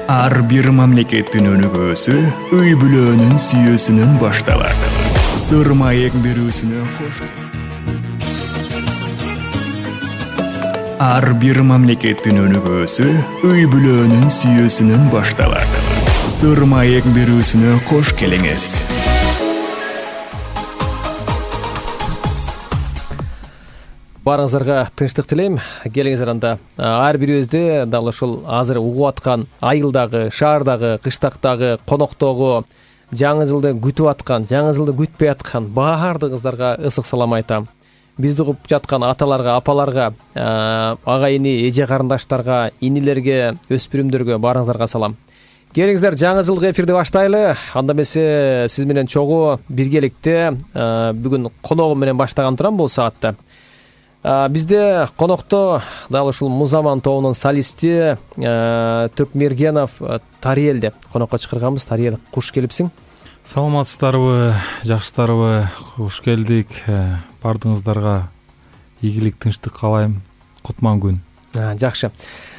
Ар бир мамлекеттин өнүгүүсү үй бүлөнүн сүйүүсүнөн башталат. Сыр маек берүүсүнө кош. Ар бир мамлекеттин өнүгүүсү үй бүлөнүн сүйүүсүнөн башталат. Сыр маек берүүсүнө кош келиңиз. Барыңыздарга тынчтык тилейм. Келиңиздер анда. Ар бирибизде дал ушул азыр угуп аткан айылдагы, шаардагы, кыштактагы, коноктогу, жаңы жылды күтүп аткан, жаңы жылды күтпөй аткан баардыгыңыздарга ысык салам айтам. Бизди угуп жаткан аталарга, апаларга, ага-ини, эже карындаштарга, инилерге, өспүрүмдөргө баарыңыздарга салам. Келиңиздер, жаңы жылгы эфирди баштайлы. Анда эмесе сиз менен чогуу биргеликте бүгүн коногум менен баштаган турам бул саатта. Бизде конокто дал ушул Музаман тобунун солисти Түркмергенов Тариэлди конокко чакырганбыз. Тариэл, куш келипсиң. Саламатсыздарбы, жакшысыздарбы? Куш келдик. Бардыгыңыздарга ийгилик, тынчтык каалайм. Кутман күн. Жакшы.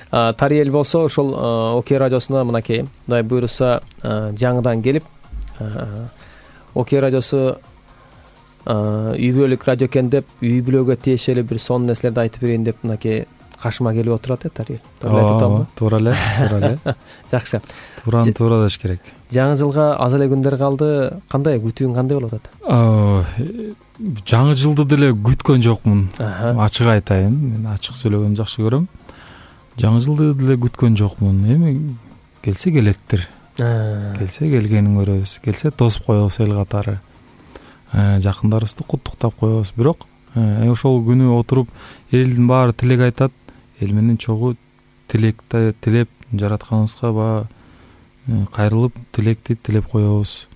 Тариэл болсо ушул Окей радиосуна мынакей Кудай буйруса жаңыдан келип, Окей радиосу үй бүлөлүк радио экен деп, үй бүлөгө тиешелүү бир сонун нерселерди айтып берейин деп мынакей кашыма келип отурат Тариэл. Туура эле. Жакшы. Туура деш керек. Жаңы жылга аз эле күндөр калды. Кандай күтүүң кандай болуп атат? Жаңы жылды деле күткөн жокмун. Ачык айтайын, мен ачык сүйлөгөнү жакшы көрөм. Жаңы жылды деле күткөн жокмун. Эми келсе келеттир. Келсе келгенин көрөбүз. Келсе тосуп коебуз эл катары. Жакындарыбызды куттуктап коебуз. Бирок ошол күнү отуруп элдин баары тилек айтат. Эл менен чогуу тилекти тилеп, жаратканыбызга кайрылып тилекти тилеп коебуз.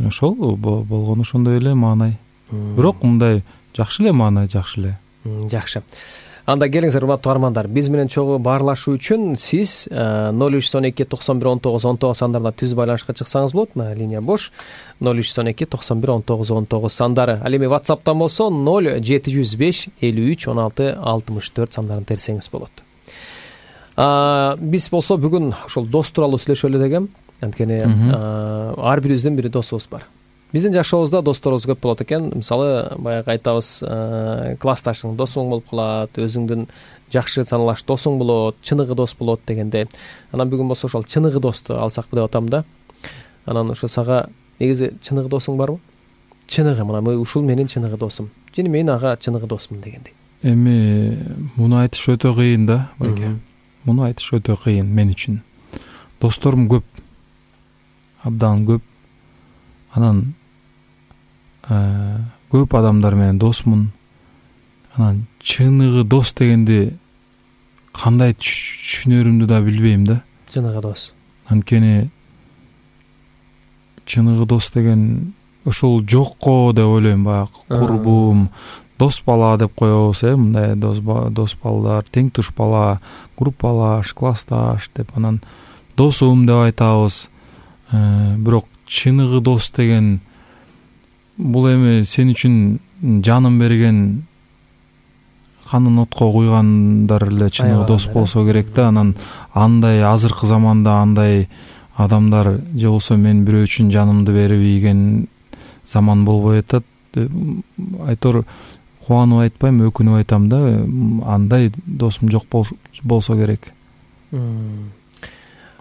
Ошол болгону ошондой эле маанай. Бирок мындай жакшы эле маанай, жакшы эле. Жакшы. Анда келиңиздер, урматтуу армандар. Биз менен чогуу баарлашуу үчүн сиз 0312 91 19 19 сандарына түз байланышка чыксаңыз болот. Линия бош. 0312 91 19 19 сандары. Ал эми WhatsApp'тан болсо 0705 53 16 64 сандарын терсеңиз болот. Биз болсо бүгүн ошол дос тууралуу сүйлөшөлү дегем. Анткени ар бирибиздин бир досубуз бар. Биздин жашообузда досторубуз көп болот экен. Мисалы, баягы айтабыз, классташың досуң болуп калат, өзүңдүн жакшы саналаш досуң болот, чыныгы дос болот дегендей. Анан бүгүн болсо ошол чыныгы досту алсакпы деп атам да. Анан ошо сага негизи чыныгы досуң барбы? Чыныгы, мына ушул менин чыныгы досум. Жана мен ага чыныгы досмун дегендей. Эми муну айтыш өтө кыйын да, байке. Муну айтыш өтө кыйын мен үчүн. Досторум көп. Абдан көп. Анан көп адамдар менен досмун. Анан чыныгы дос дегенди кандай түшүнөрүмдү да билбейм да. Чыныгы дос. Анткени чыныгы дос деген ошол жокко деп ойлойм, баягы курбум, дос бала деп коебуз, мындай дос балдар, тең туш бала, группалаш, классташ деп анан досум деп айтабыз. Бирок чыныгы дос деген бул эми сен үчүн жанын берген, канын отко куйгандар эле чыныгы дос болсо керек да. Анан андай азыркы заманда андай адамдар же болсо мен бирөө үчүн жанымды берип ийген заман болбой атат. Айтор кубанып айтпайм, өкүнүп айтам да. Андай досум жок болсо керек.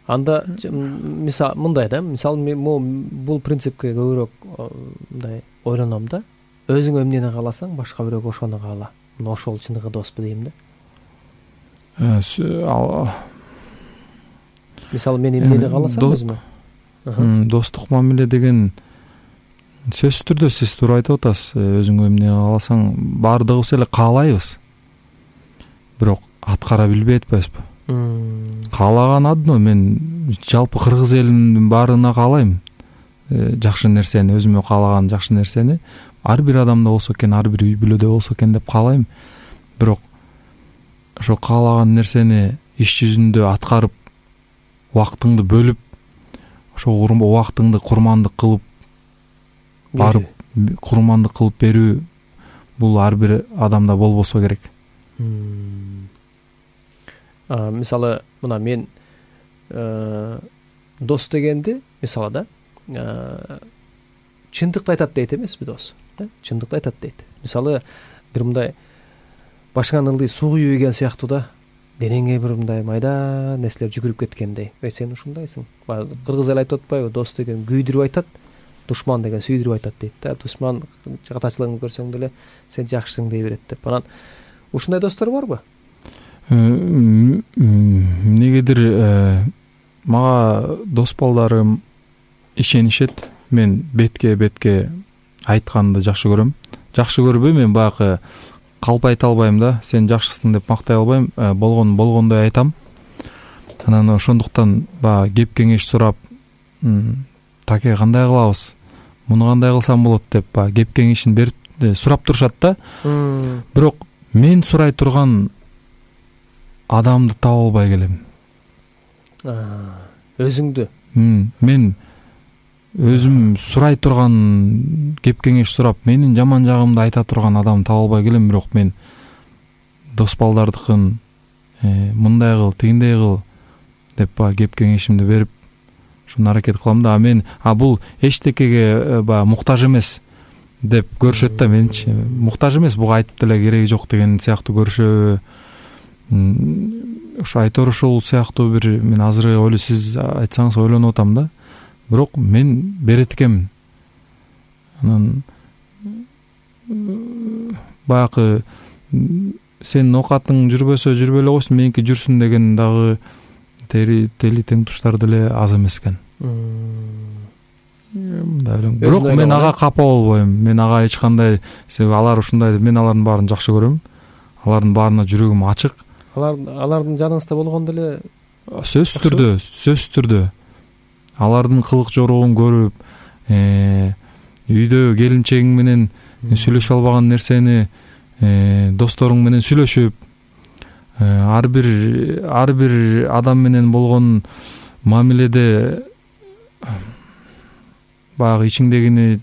Анда мисал мындай да, мисалы мен бул принципке көбүрөөк мындай ойлоном да. Өзүң эмнени кааласаң, башка бирөө ошону каала. Мына ошол чыныгы доспу дейм да. Мисалы мен эмнени кааласам өзүмө. Достук мамиле деген сөзсүз түрдө сиз туура айтып атасыз. Өзүң эмнени кааласаң, баардыгыбыз эле каалайбыз. Бирок аткара билбей атпайбызбы? Каалаган одно. Мен жалпы кыргыз элинин баарына каалайм жакшы нерсени, өзүмө каалаган жакшы нерсени ар бир адамда болсо экен, ар бир үй бүлөдө болсо экен деп каалайм. Бирок ошо каалаган нерсени иш жүзүндө аткарып, убактыңды бөлүп, ошо убактыңды курмандык кылып барып, курмандык кылып берүү бул ар бир адамда болбосо керек. Мисалы, мына мен дос дегенди мисалы да чындыкты айтат дейт эмеспи дос, чындыкты айтат дейт. Мисалы бир мындай башыңан ылдый суу күйүп ийген сыяктуу да, денеңе бир мындай майда нерселер жүгүрүп кеткендей. Сен ушундайсың. Кыргыз эл айтып атпайбы, дос деген күйдүрүп айтат, душман деген сүйдүрүп айтат дейт да. Душман катачылыгын көрсөң деле сен жакшысың дей берет деп. Анан ушундай достор барбы? Эмнегедир мага дос балдарым ишенишет. Мен бетке айтканды жакшы көрөм. Жакшы көрбөйм, мен баягы калп айта албайм да. Сен жакшысың деп мактай албайм. Болгондой айтам. Анан ошондуктан баягы кеп кеңеш сурап, таке кандай кылабыз? Муну кандай кылсам болот деп баягы кеп кеңешин берип сурап турушат да. Бирок мен сурай турган адамды таба албай келем. Өзүңдү. Мен өзүм сурай турган, кеп кеңеш сурап, менин жаман жагымды айта турган адамды таба албай келем. Бирок мен дос балдардыкын мындай кыл, тигиндей кыл деп баягы кеп кеңешимди берип ушуну аракет кылам да. Мен бул эчтекеге баягы муктаж эмес деп көрүшөт да. Менчи муктаж эмес, буга айтып деле кереги жок деген сыяктуу көрүшөбү. Ушу айтор ушул сыяктуу бир, мен азыр сиз айтсаңыз ойлонуп атам да. Бирок мен берет экенмин. Анан баягы сенин оокатың жүрбөсө жүрбөй эле койсун, меники жүрсүн деген дагы тели тең туштар деле аз эмес экен. Бирок мен ага капа болбойм. Мен ага эч кандай, алар ушундай, мен алардын баарын жакшы көрөм. Алардын баарына жүрөгүм ачык. Алардын жаныңызда болгондо эле сөзсүз түрдө алардын кылык жоругун көрүп, үйдө келинчегиң менен сүйлөшө албаган нерсени досторуң менен сүйлөшүп, ар бир адам менен болгон мамиледе баягы ичиңдегини,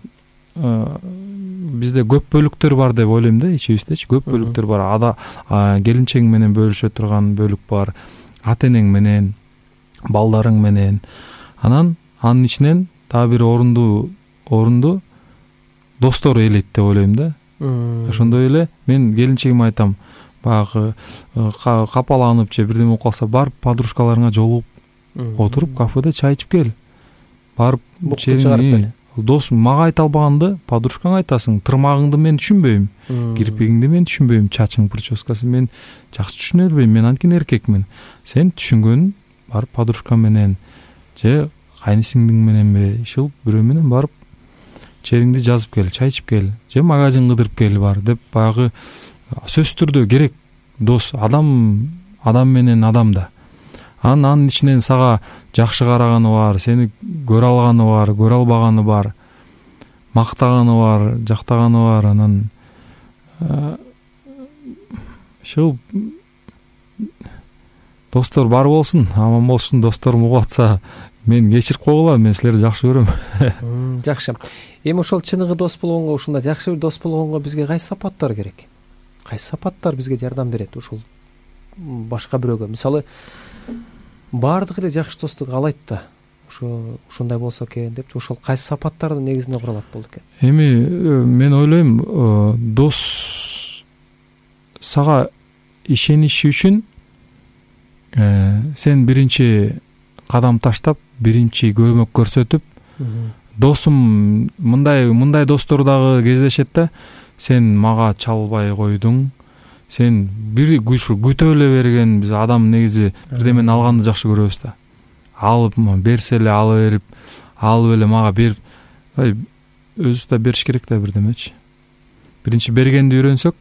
бизде көп бөлүктөр бар деп ойлойм да, ичибиздечи көп бөлүктөр бар. Келинчегиң менен бөлүшө турган бөлүк бар, ата энең менен, балдарың менен. Анан анын ичинен дагы бир орунду достор ээлейт деп ойлойм да. Ошондой эле мен келинчегиме айтам, баягы капаланып же бирдеме болуп калса, барып подружкаларыңа жолугуп отуруп кафеде чай ичип кел. Барып дос мага айта албаганды подружкаңа айтасың. Тырмагыңды мен түшүнбөйм, кирпигиңди мен түшүнбөйм, чачың прическасын мен жакшы түшүнө бербейм. Мен анткени эркекмин. Сен түшүнгөнүн барып подружкаң менен же кайнысиңдиң мененби, ишил бирөө менен барып чериңди жазып кел, чай ичип кел, же магазин кыдырып кел бар деп баягы сөзсүз түрдө керек дос. Адам менен адам да. Анын ичинен сага жакшы караганы бар, сени көрө алганы бар, көрө албаганы бар, мактаганы бар, жактаганы бар. Анан ушул достор бар болсун, аман болушун. Досторум угуп атса, мен кечирип койгула, мен силерди жакшы көрөм. Жакшы. Эми ошол чыныгы дос болгонго, ушундай жакшы бир дос болгонго бизге кайсы сапаттар керек? Кайсы сапаттар бизге жардам берет ушул башка бирөөгө? Мисалы, баардыгы эле жакшы достук каалайт да. Ушундай болсо экен деп, ошол кайсы сапаттардын негизинде куралат болду экен? Эми мен ойлойм, дос сага ишениши үчүн сен биринчи кадам таштап, биринчи көмөк көрсөтүп, досум мындай достор дагы кездешет да. Сен мага чалбай койдуң, сен бир күтө эле берген. Биз адам негизи бирдемени алганды жакшы көрөбүз да. Алып берсе эле ала берип, алып эле мага берип, өзүбүз да бериш керек да бирдемечи. Биринчи бергенди үйрөнсөк,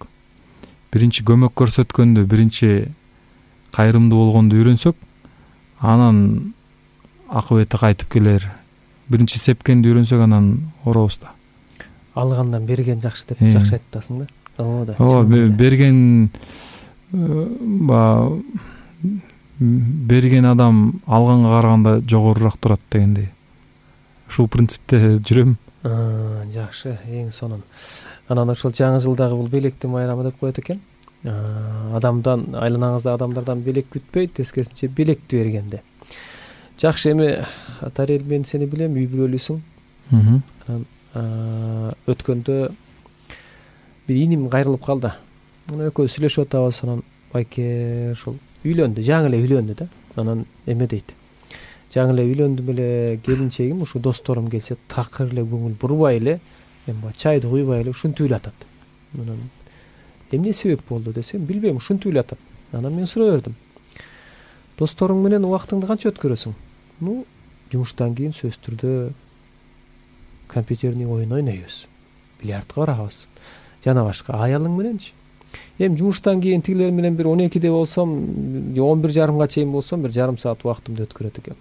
биринчи көмөк көрсөткөндү, биринчи кайрымдуу болгонду үйрөнсөк, анан акыбети кайтып келер. Биринчи сепкенди үйрөнсөк, анан оробуз да. Алгандан берген жакшы деп жакшы айтасың да. Ооба, берген адам алганга караганда жогорураак турат дегендей. Ушул принципте жүрөм. Жакшы, эң сонун. Анан ошол жаңы жылдагы бул белектин майрамы деп коет экен. Адамдан, айланаңыздагы адамдардан белек күтпөй, тескерисинче белекти бергенде. Жакшы, эми Атарел, мен сени билем, үй бүлөлүүсүң. Анан өткөндө бир иним кайрылып калды. Анан экөөбүз сүйлөшүп атабыз. Анан байке ушул үйлөндү, жаңы эле үйлөндү да. Анан эме дейт. Жаңы эле үйлөндүм эле, келинчегим ушу досторум келсе такыр эле көңүл бурбай эле, эми чайды куйбай эле ушинтип эле атат. Анан эмне себеп болду десем, билбейм, ушинтип эле атат. Анан мен сурай бердим. Досторуң менен убактыңды канча өткөрөсүң? Ну, жумуштан кийин сөзсүз түрдө компьютерный оюн ойнойбуз, бильярдка барабыз, жана башка. Аялың мененчи? Эми жумуштан кийин тигилер менен бир 12-де болсом, 11:30 чейин болсом, бир жарым саат убактымды өткөрөт экем.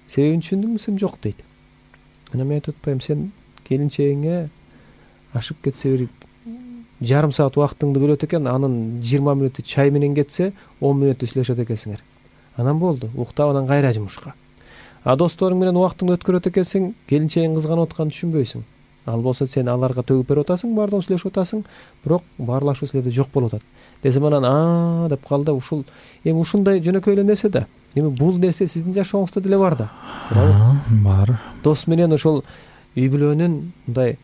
Себебин түшүндүңбү сен? Жок дейт. Анан мен айтып атпайм, сен келинчегиңе ашып кетсе бир жарым саат убактыңды бөлөт экен, анын 20 мүнөтү чай менен кетсе, 10 мүнөтү сүйлөшөт экенсиңер. Анан болду, уктап анан кайра жумушка. А досторуң менен убактыңды өткөрөт экенсиң, келинчегиң кызганып атканын түшүнбөйсүң. Ал болсо сен аларга төгүп берип атасың, баардыгын сүйлөшүп атасың, бирок баарлашуу силерде жок болуп атат. Десем анан деп калды. Ушул эми ушундай жөнөкөй эле нерсе да. Эми бул нерсе сиздин жашооңузда деле бар да. Бар. Дос менен ошол үй бүлөнүн мындай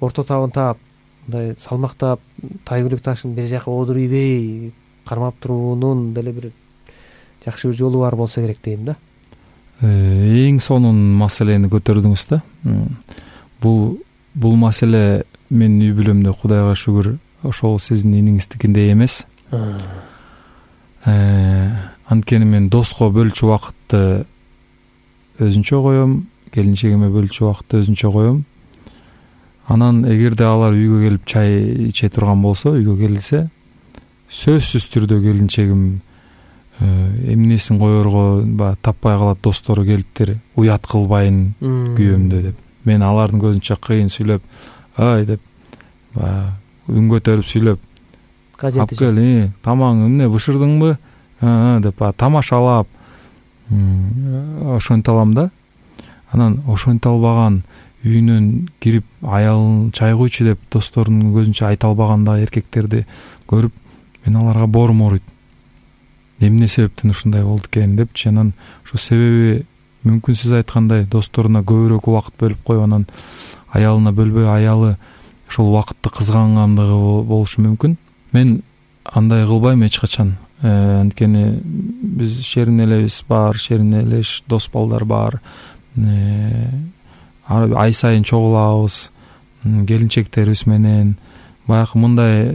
орто табын таап, мындай салмактап, тайгүлүк ташын бир жака одур ийбей кармап туруунун деле бир жакшы бир жолу бар болсо керек дейм да. Эң сонун маселени көтөрдүңүз да. Бул маселе менин үй бүлөмдө, Кудайга шүгүр, ошол сиздин иниңиздикиндей эмес. Анткени мен доско бөлчү убакытты өзүнчө коем, келинчегиме бөлчү убакытты өзүнчө коем. Анан эгерде алар үйгө келип чай иче турган болсо, үйгө келсе, сөзсүз түрдө келинчегим эмнесин коерго таппай калат, достору келиптир, уят кылбайын күйөөмдө деп. Мен алардын көзүнчө кыйын сүйлөп, ай деп, үн көтөрүп сүйлөп, ап кел, тамаң эмне бышырдыңбы деп тамашалап ошентип алам да. Анан ошентип албаган, үйүнөн кирип аялын чай куйчу деп досторунун көзүнчө айта албаганда эркектерди көрүп, мен аларга боорум ооруйт. Эмне себептен ушундай болду экен депчи. Анан ушул себеби мүмкүн сиз айткандай досторуна көбүрөөк убакыт бөлүп коюп, анан аялына бөлбөй, аялы ошол убакытты кызгангандыгы болушу мүмкүн. Мен андай кылбайм эч качан. Анткени биз шерин элебиз бар, шерин элеш дос балдар бар. Ай сайын чогулабыз келинчектерибиз менен. Баягы мындай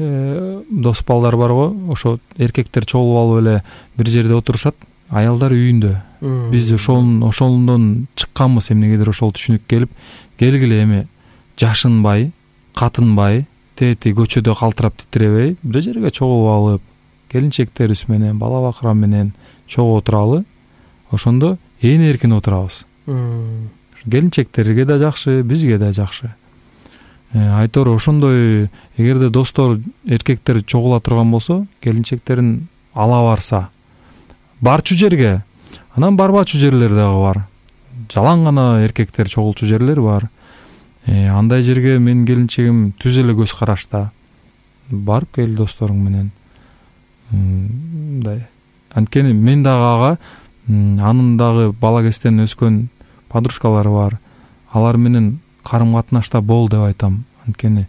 дос балдар бар го, ошо эркектер чогулуп алып эле бир жерде отурушат, аялдар үйүндө. Биз ошондон чыкканбыз, эмнегедир ошол түшүнүк келип, келгиле эми жашынбай, катынбай, тети көчөдө калтырап титиребей, бир жерге чогулуп алып, келинчектерибиз менен, бала бакыра менен чогуу отуралы. Ошондо ээн эркин отурабыз. Келинчектерге да жакшы, бизге да жакшы. Айтор ошондой, эгерде достор, эркектер чогула турган болсо, келинчектерин ала барса, барчу жерге, анан барбачу жерлер дагы бар. Жалаң гана эркектер чогулчу жерлер бар. Андай жерге менин келинчегим түз эле көз карашта. Барып кел досторуң менен. Мындай. Анткени мен дагы ага, анын дагы бала кезден өскөн подружкалары бар. Алар менен карым катнашта бол деп айтам. Анткени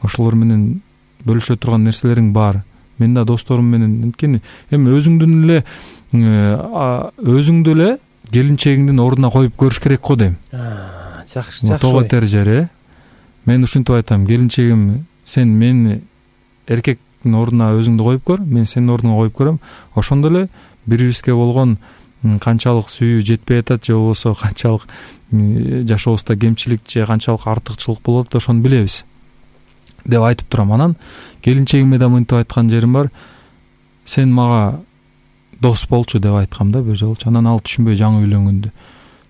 ошолор менен бөлүшө турган нерселериң бар. Мен да досторум менен, анткени эми өзүңдү эле келинчегиңдин ордуна коюп көрүш керек го дейм. Жакшы. Тоо кетер жер, Мен ушинтип айтам, келинчегим, сен мени эркектин ордуна өзүңдү коюп көр, мен сенин ордуңа коюп көрөм. Ошондо эле бири-бирибизге болгон канчалык сүйүү жетпей атат, же болбосо канчалык жашообузда кемчилик же канчалык артыкчылык болот, ошону билебиз деп айтып турам. Анан келинчегиме да мынтип айткан жерим бар. Сен мага дос болчу деп айткам да бир жолчу. Анан ал түшүнбөй жаңы үйлөнгөндө.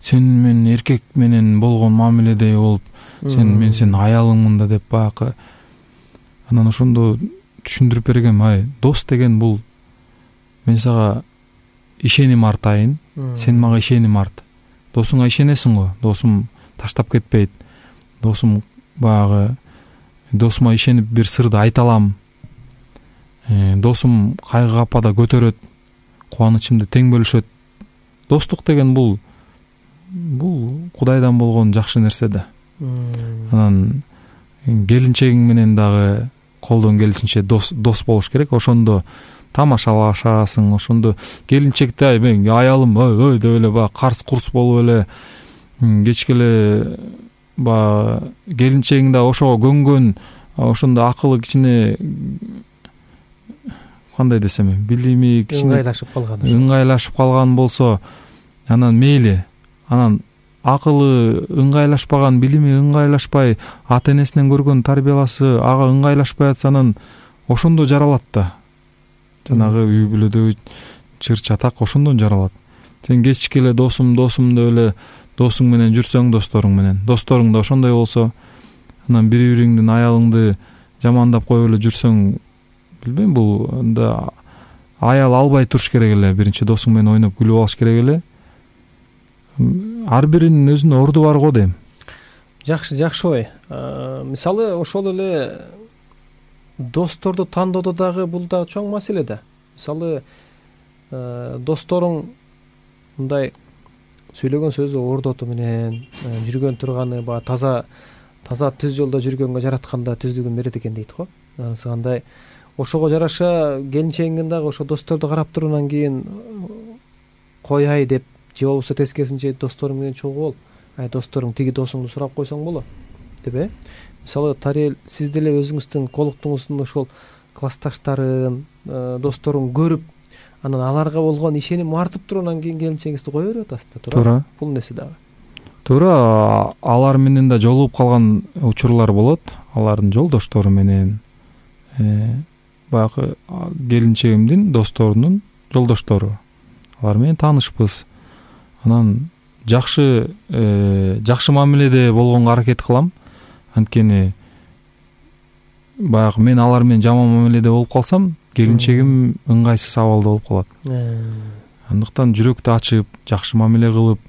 Сен менин эркек менен болгон мамиледей болуп, мен сенин аялыңмын да деп баягы. Анан ошондо түшүндүрүп бергем, дос деген бул мен сага ишеним артайын, сен мага ишеним арт. Досуңа ишенесиң го, досум таштап кетпейт. Досум баягы досума ишенип бир сырды айта алам. Досум кайгы капада көтөрөт, кубанычымды тең бөлүшөт достук деген бул Кудайдан болгон жакшы нерсе да. Анан келинчегиң менен дагы колдон келишинче дос болуш керек. Ошондо тамашалашасың, ошондо келинчекте мен аялым ой деп эле баягы карс-курс болуп эле кечке эле баягы келинчегиң да ошого көнгөн, ошондо акылы кичине кандай десем, билими кичине ыңгайлашып калган болсо, анан мейли. Анан акылы ыңгайлашпаган, билими ыңгайлашпай, ата-энесинен көргөн тарбияласы ага ыңгайлашпай атса, анан ошондо жаралат да. Жанагы үй бүлөдөгү чыр-чатак ошондон жаралат. Сен кечке эле досум деп эле досуң менен жүрсөң, досторуң да ошондой болсо, анан бири-бириңдин аялыңды жамандап коюп эле жүрсөң, билбейм, бул да аял албай туруш керек эле. Биринчи досуң менен ойноп күлүп алыш керек эле. Ар биринин өзүнүн орду бар го дейм. Жакшы ой. Мисалы ошол эле досторду тандоодо дагы бул да чоң маселе да. Мисалы досторуң мындай сүйлөгөн сөзү ордоту менен жүргөн турганы баягы таза түз жолдо жүргөнгө жаратканда түздүгүн берет экен дейт го. Андай ошого жараша келинчегиңдин дагы ошо досторду карап тургандан кийин кояй деп, же болбосо тескерисинче досторуң менен чогуу бол. Досторуң тиги досуңду сурап койсоң болот деп. Мисалы Тарел, сиз деле өзүңүздүн колуктуңуздун ошол классташтарын, досторуң көрүп, анан аларга болгон ишеним артып тургандан кийин келинчегиңизди кое берип атасыз да, туура? Бул нерсе дагы. Туура, алар менен да жолугуп калган учурлар болот. Алардын жолдоштору менен, баягы келинчегимдин досторунун жолдоштору. Алар менен таанышпыз. Анан жакшы мамиледе болгонго аракет кылам. Анткени баягы мен алар менен жаман мамиледе болуп калсам, келинчегим ыңгайсыз абалда болуп калат. Андыктан жүрөктү ачып, жакшы мамиле кылып,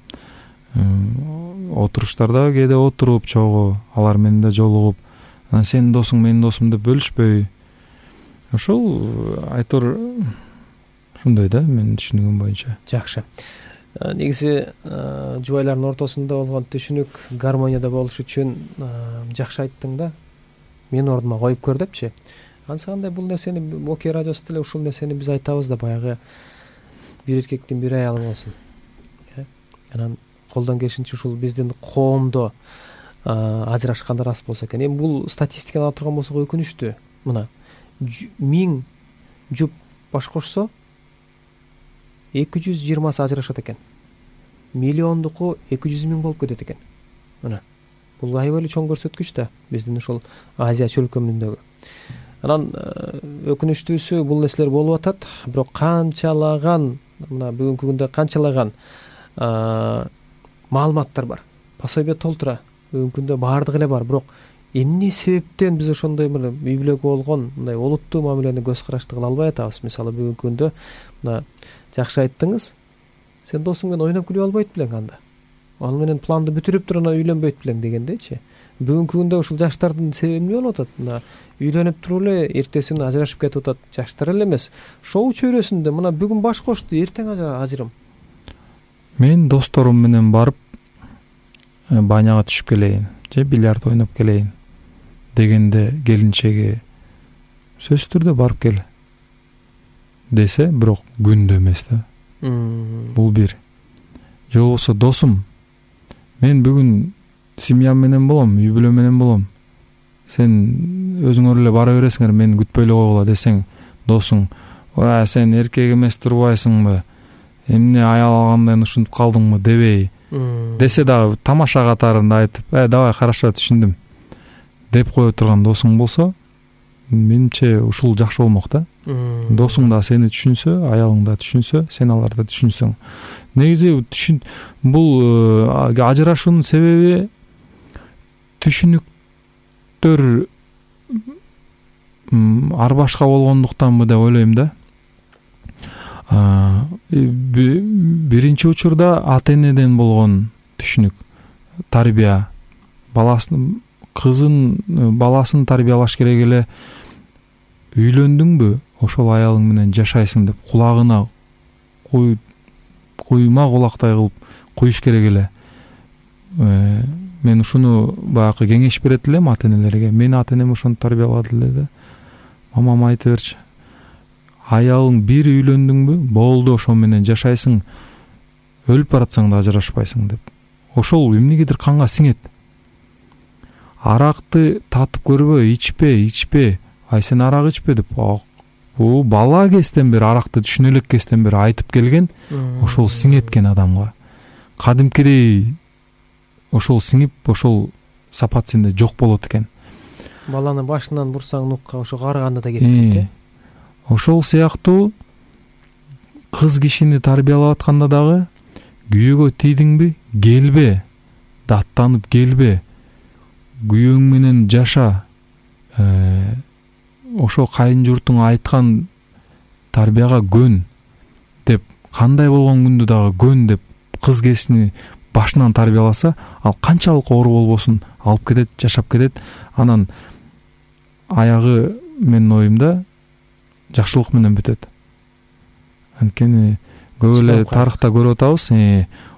отуруштарда кээде отуруп чогуу, алар менен да жолугуп, анан сенин досуң менин досум деп бөлүшпөй. Ошол айтор ошондой да, менин түшүнүгүм боюнча. Жакшы. Негизи жубайлардын ортосунда болгон түшүнүк гармонияда болуш үчүн жакшы айттың да. Мен ордума коюп көр депчи. Ансагандай бул нерсени Окей радиосу деле ушул нерсени биз айтабыз да, баягы бир эркектин бир аялы болсун. Анан колдон келишинче ушул биздин коомдо ажырашкандар аз болсо экен. Эми бул статистиканы алып турган болсок өкүнүчтүү. Мына 1000 жуп баш кошсо 220 ажырашат экен. Миллиондуку 200 000 болуп кетет экен. Мына бул аябай эле чоң көрсөткүч да биздин ошол Азия чөлкөмүндөгү. Анан өкүнүчтүүсү бул нерселер болуп атат, бирок канчалаган, мына бүгүнкү күндө канчалаган маалыматтар бар. Пособие толтура. Бүгүнкү күндө баардыгы эле бар, бирок эмне себептен биз ошондой үй бүлөгө болгон мындай олуттуу мамилени көз карашты кыла албай атабыз? Мисалы бүгүнкү күндө мына жакшы айттыңыз. Сен досуң менен ойноп күлүп албайт белең анда. Ал менен планды бүтүрүп туруп анан үйлөнбөйт белең дегендейчи. Бүгүнкү күндө ушул жаштардын себеби эмне болуп атат? Мына үйлөнүп туруп эле эртесин ажырашып кетип атат. Жаштар эле эмес, шоу чөйрөсүндө мына бүгүн баш кошду, эртең ажырым. Мен досторум менен барып баняга түшүп келейин, же бильярд ойноп келейин дегенде келинчеги сөзсүз түрдө барып кел десе, бирок күндө эмес да. Бул бир. Же болбосо досум, мен бүгүн семьям менен болом, үй бүлө менен болом. Сен өзүңөр эле бара бересиңер, мени күтпөй эле койгула десең, досуң, сен эркек эмес турбайсыңбы? Эмне аял алгандан ушинтип калдыңбы дебей десе дагы тамаша катарында айтып, давай хорошо түшүндүм деп кое турган досуң болсо, менимче ушул жакшы болмок да. Досуң да сени түшүнсө, аялың да түшүнсө, сен аларды түшүнсөң. Негизи бул ажырашуунун себеби түшүнүктөр ар башка болгондуктанбы деп ойлойм да. Биринчи учурда ата-энеден болгон түшүнүк, тарбия, баласын тарбиялаш керек эле. Үйлөндүңбү, ошол аялың менен жашайсың деп кулагына куйма кулактай кылып куюш керек эле. Мен ушуну баягы кеңеш берет элем ата энелерге. Мени ата энем ошону тарбиялады эле да. Мамам айтып берчү. Аялың бир үйлөндүңбү, болду, ошо менен жашайсың. Өлүп баратсаң да ажырашпайсың деп. Ошол эмнегедир канга сиңет. Аракты татып көрбө, ичпе. Ай сен арак ичпе деп. Бул бала кезден бери аракты түшүнө элек кезден бери айтып келген, ошол сиңеткен адамга. Кадимкидей ошол сиңип, ошол сапат сенде жок болот экен. Баланы башынан бурсаң нукка ошо карыганда да кетет. Ошол сыяктуу кыз кишини тарбиялап атканда дагы күйөөгө тийдиңби, келбе, даттанып келбе, күйөөң менен жаша. Ошо кайын журтуң айткан тарбияга көн деп, кандай болгон күндө дагы көн деп кыз кишини башынан тарбияласа, ал канчалык оор болбосун алып кетет, жашап кетет. Анан аягы менин оюмда жакшылык менен бүтөт. Анткени көп эле тарыхта көрүп атабыз.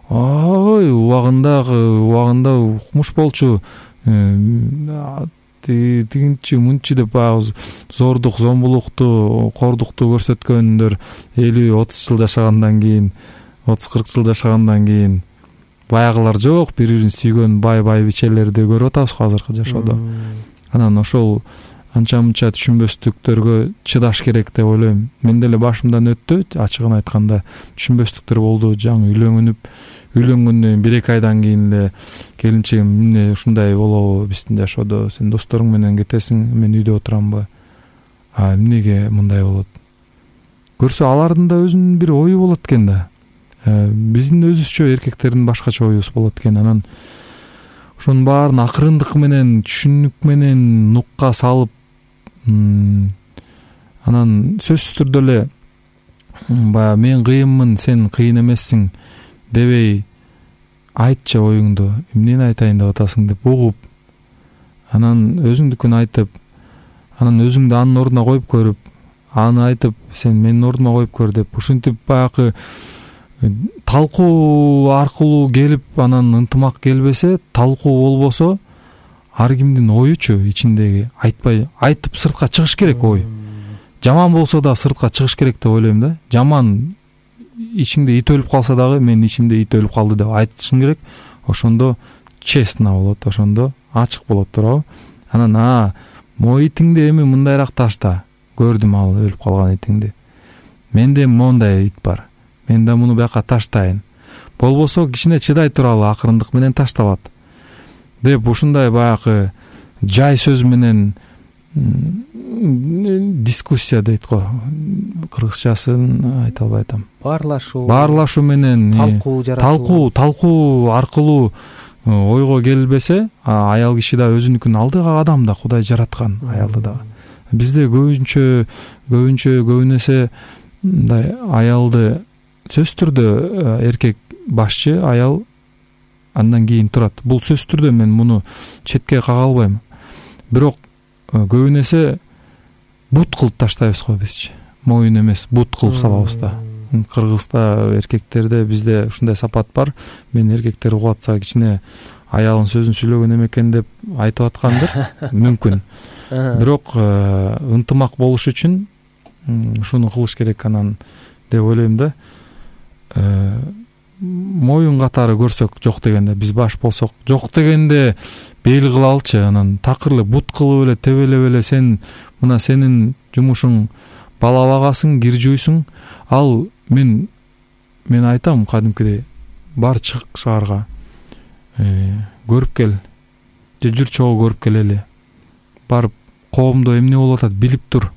Ой, убагында укмуш болчу, тигинчи мынчы деп баягы зордук, зомбулукту, кордукту көрсөткөндөр 50-30 жыл жашагандан кийин, 30-40 жыл жашагандан кийин баягылар жок, бири-бирин сүйгөн бай-байбичелерди көрүп атабыз азыркы жашоодо. Анан ошол анча-мынча түшүнбөстүктөргө чыдаш керек деп ойлойм. Мен деле башымдан өттү, ачыгын айтканда түшүнбөстүктөр болду. Жаңы үйлөнгөндөн 1-2 айдан кийин эле келинчегим эмне ушундай болобу биздин жашоодо, сен досторуң менен кетесиң, мен үйдө отурамбы? Эмнеге мындай болот? Көрсө алардын да өзүнүн бир ою болот экен да. Биздин өзүбүзчө эркектердин башкача оюбуз болот экен. Анан ошонун баарын акырындык менен, түшүнүк менен нукка салып, анан сөзсүз түрдө эле баягы мен кыйынмын, сен кыйын эмессиң дебей айтчы оюңду, эмнени айтайын деп атасың деп угуп, анан өзүңдүкүн айтып, анан өзүңдү анын ордуна коюп көрүп, аны айтып, сен менин ордума коюп көр деп, ушинтип баягы талкуу аркылуу келип, анан ынтымак келбесе, талкуу болбосо, ар кимдин оючу ичиндеги айтып сыртка чыгыш керек ой. Жаман болсо да сыртка чыгыш керек деп ойлойм да. Жаман ичиңде ит өлүп калса дагы менин ичимде ит өлүп калды деп айтышың керек. Ошондо честно болот, ошондо ачык болот, туурабы? Анан мо итиңди эми мындайраак ташта. Көрдүм ал өлүп калган итиңди. Менде мондай ит бар. Мен да муну бияка таштайын. Болбосо кичине чыдай туралы акырындык менен ташталат. Деп ушундай баягы жай сөз менен дискуссия дейт го. Кыргызчасын айта албай атам. Баарлашуу менен талкуу аркылуу ойго келбесе, аял киши да өзүнүкүн алдыга адам да Кудай жараткан аялды да. Бизде көбүнесе мындай аялды сөзсүз түрдө эркек башчы, аял андан кийин турат. Бул сөзсүз түрдө мен муну четке кага албайм. Бирок көбүнесе бут кылып таштайбыз го бизчи. Моюн эмес, бут кылып салабыз да. Кыргызда эркектерде бизде ушундай сапат бар. Мен эркектер угуп атса кичине аялын сөзүн сүйлөгөн экен деп айтып аткандыр. Мүмкүн. Бирок ынтымак болуш үчүн ушуну кылыш керек анан деп ойлойм да. Моюн катары көрсөк жок дегенде, биз баш болсок жок дегенде бел кылалчы, анан такыр эле бут кылып эле тебелеп эле сен мына сенин жумушуң бала багасың, кир жуйсуң. Ал мен айтам кадимкидей бар чык шаарга. Көрүп кел. Же жүр чогуу көрүп келели. Барып коомдо эмне болуп атат билип тур.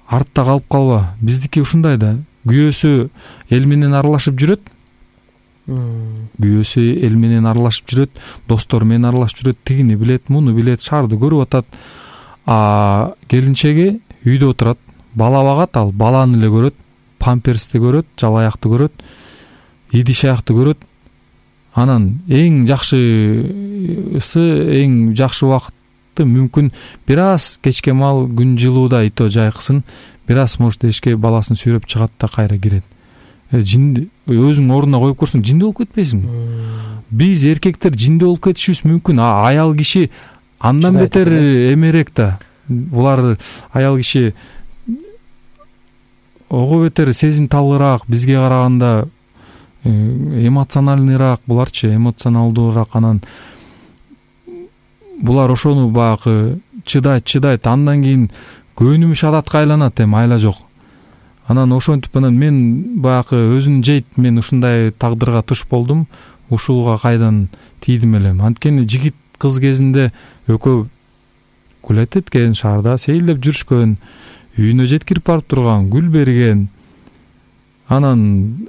Артта калып калба. Биздики ушундай да. Күйөөсү эл менен аралашып жүрөт. Достор менен аралашып жүрөт, тигини билет, муну билет, шаарды көрүп атат. Келинчеги үйдө отурат, бала багат, ал баланы эле көрөт, памперсти көрөт, жалаякты көрөт, идиш аякты көрөт. Анан эң жакшы убакытты мүмкүн бир аз кечке мал күн жылууда ито жайкысын, бир аз может эшикке баласын сүйрөп чыгат да кайра кирет. өзүң ордуна коюп көрсөң жиндүү болуп кетпейсиңби? Биз эркектер жиндүү болуп кетишибиз мүмкүн, аял киши андан бетер эмерээк да. Булар аял киши ого бетер сезимталыраак, бизге караганда эмоциональныйраак, буларчы эмоционалдуураак. Анан булар ошону баягы чыдайт, андан кийин көнүмүш адатка айланат, эми айла жок. Анан ошентип анан мен баягы өзүн жейт, мен ушундай тагдырга туш болдум, ушулга кайдан тийдим элем. Анткени жигит кыз кезинде экөө гулять эткен, шаарда сейилдеп жүрүшкөн, үйүнө жеткирип барып турган, гүл берген. Анан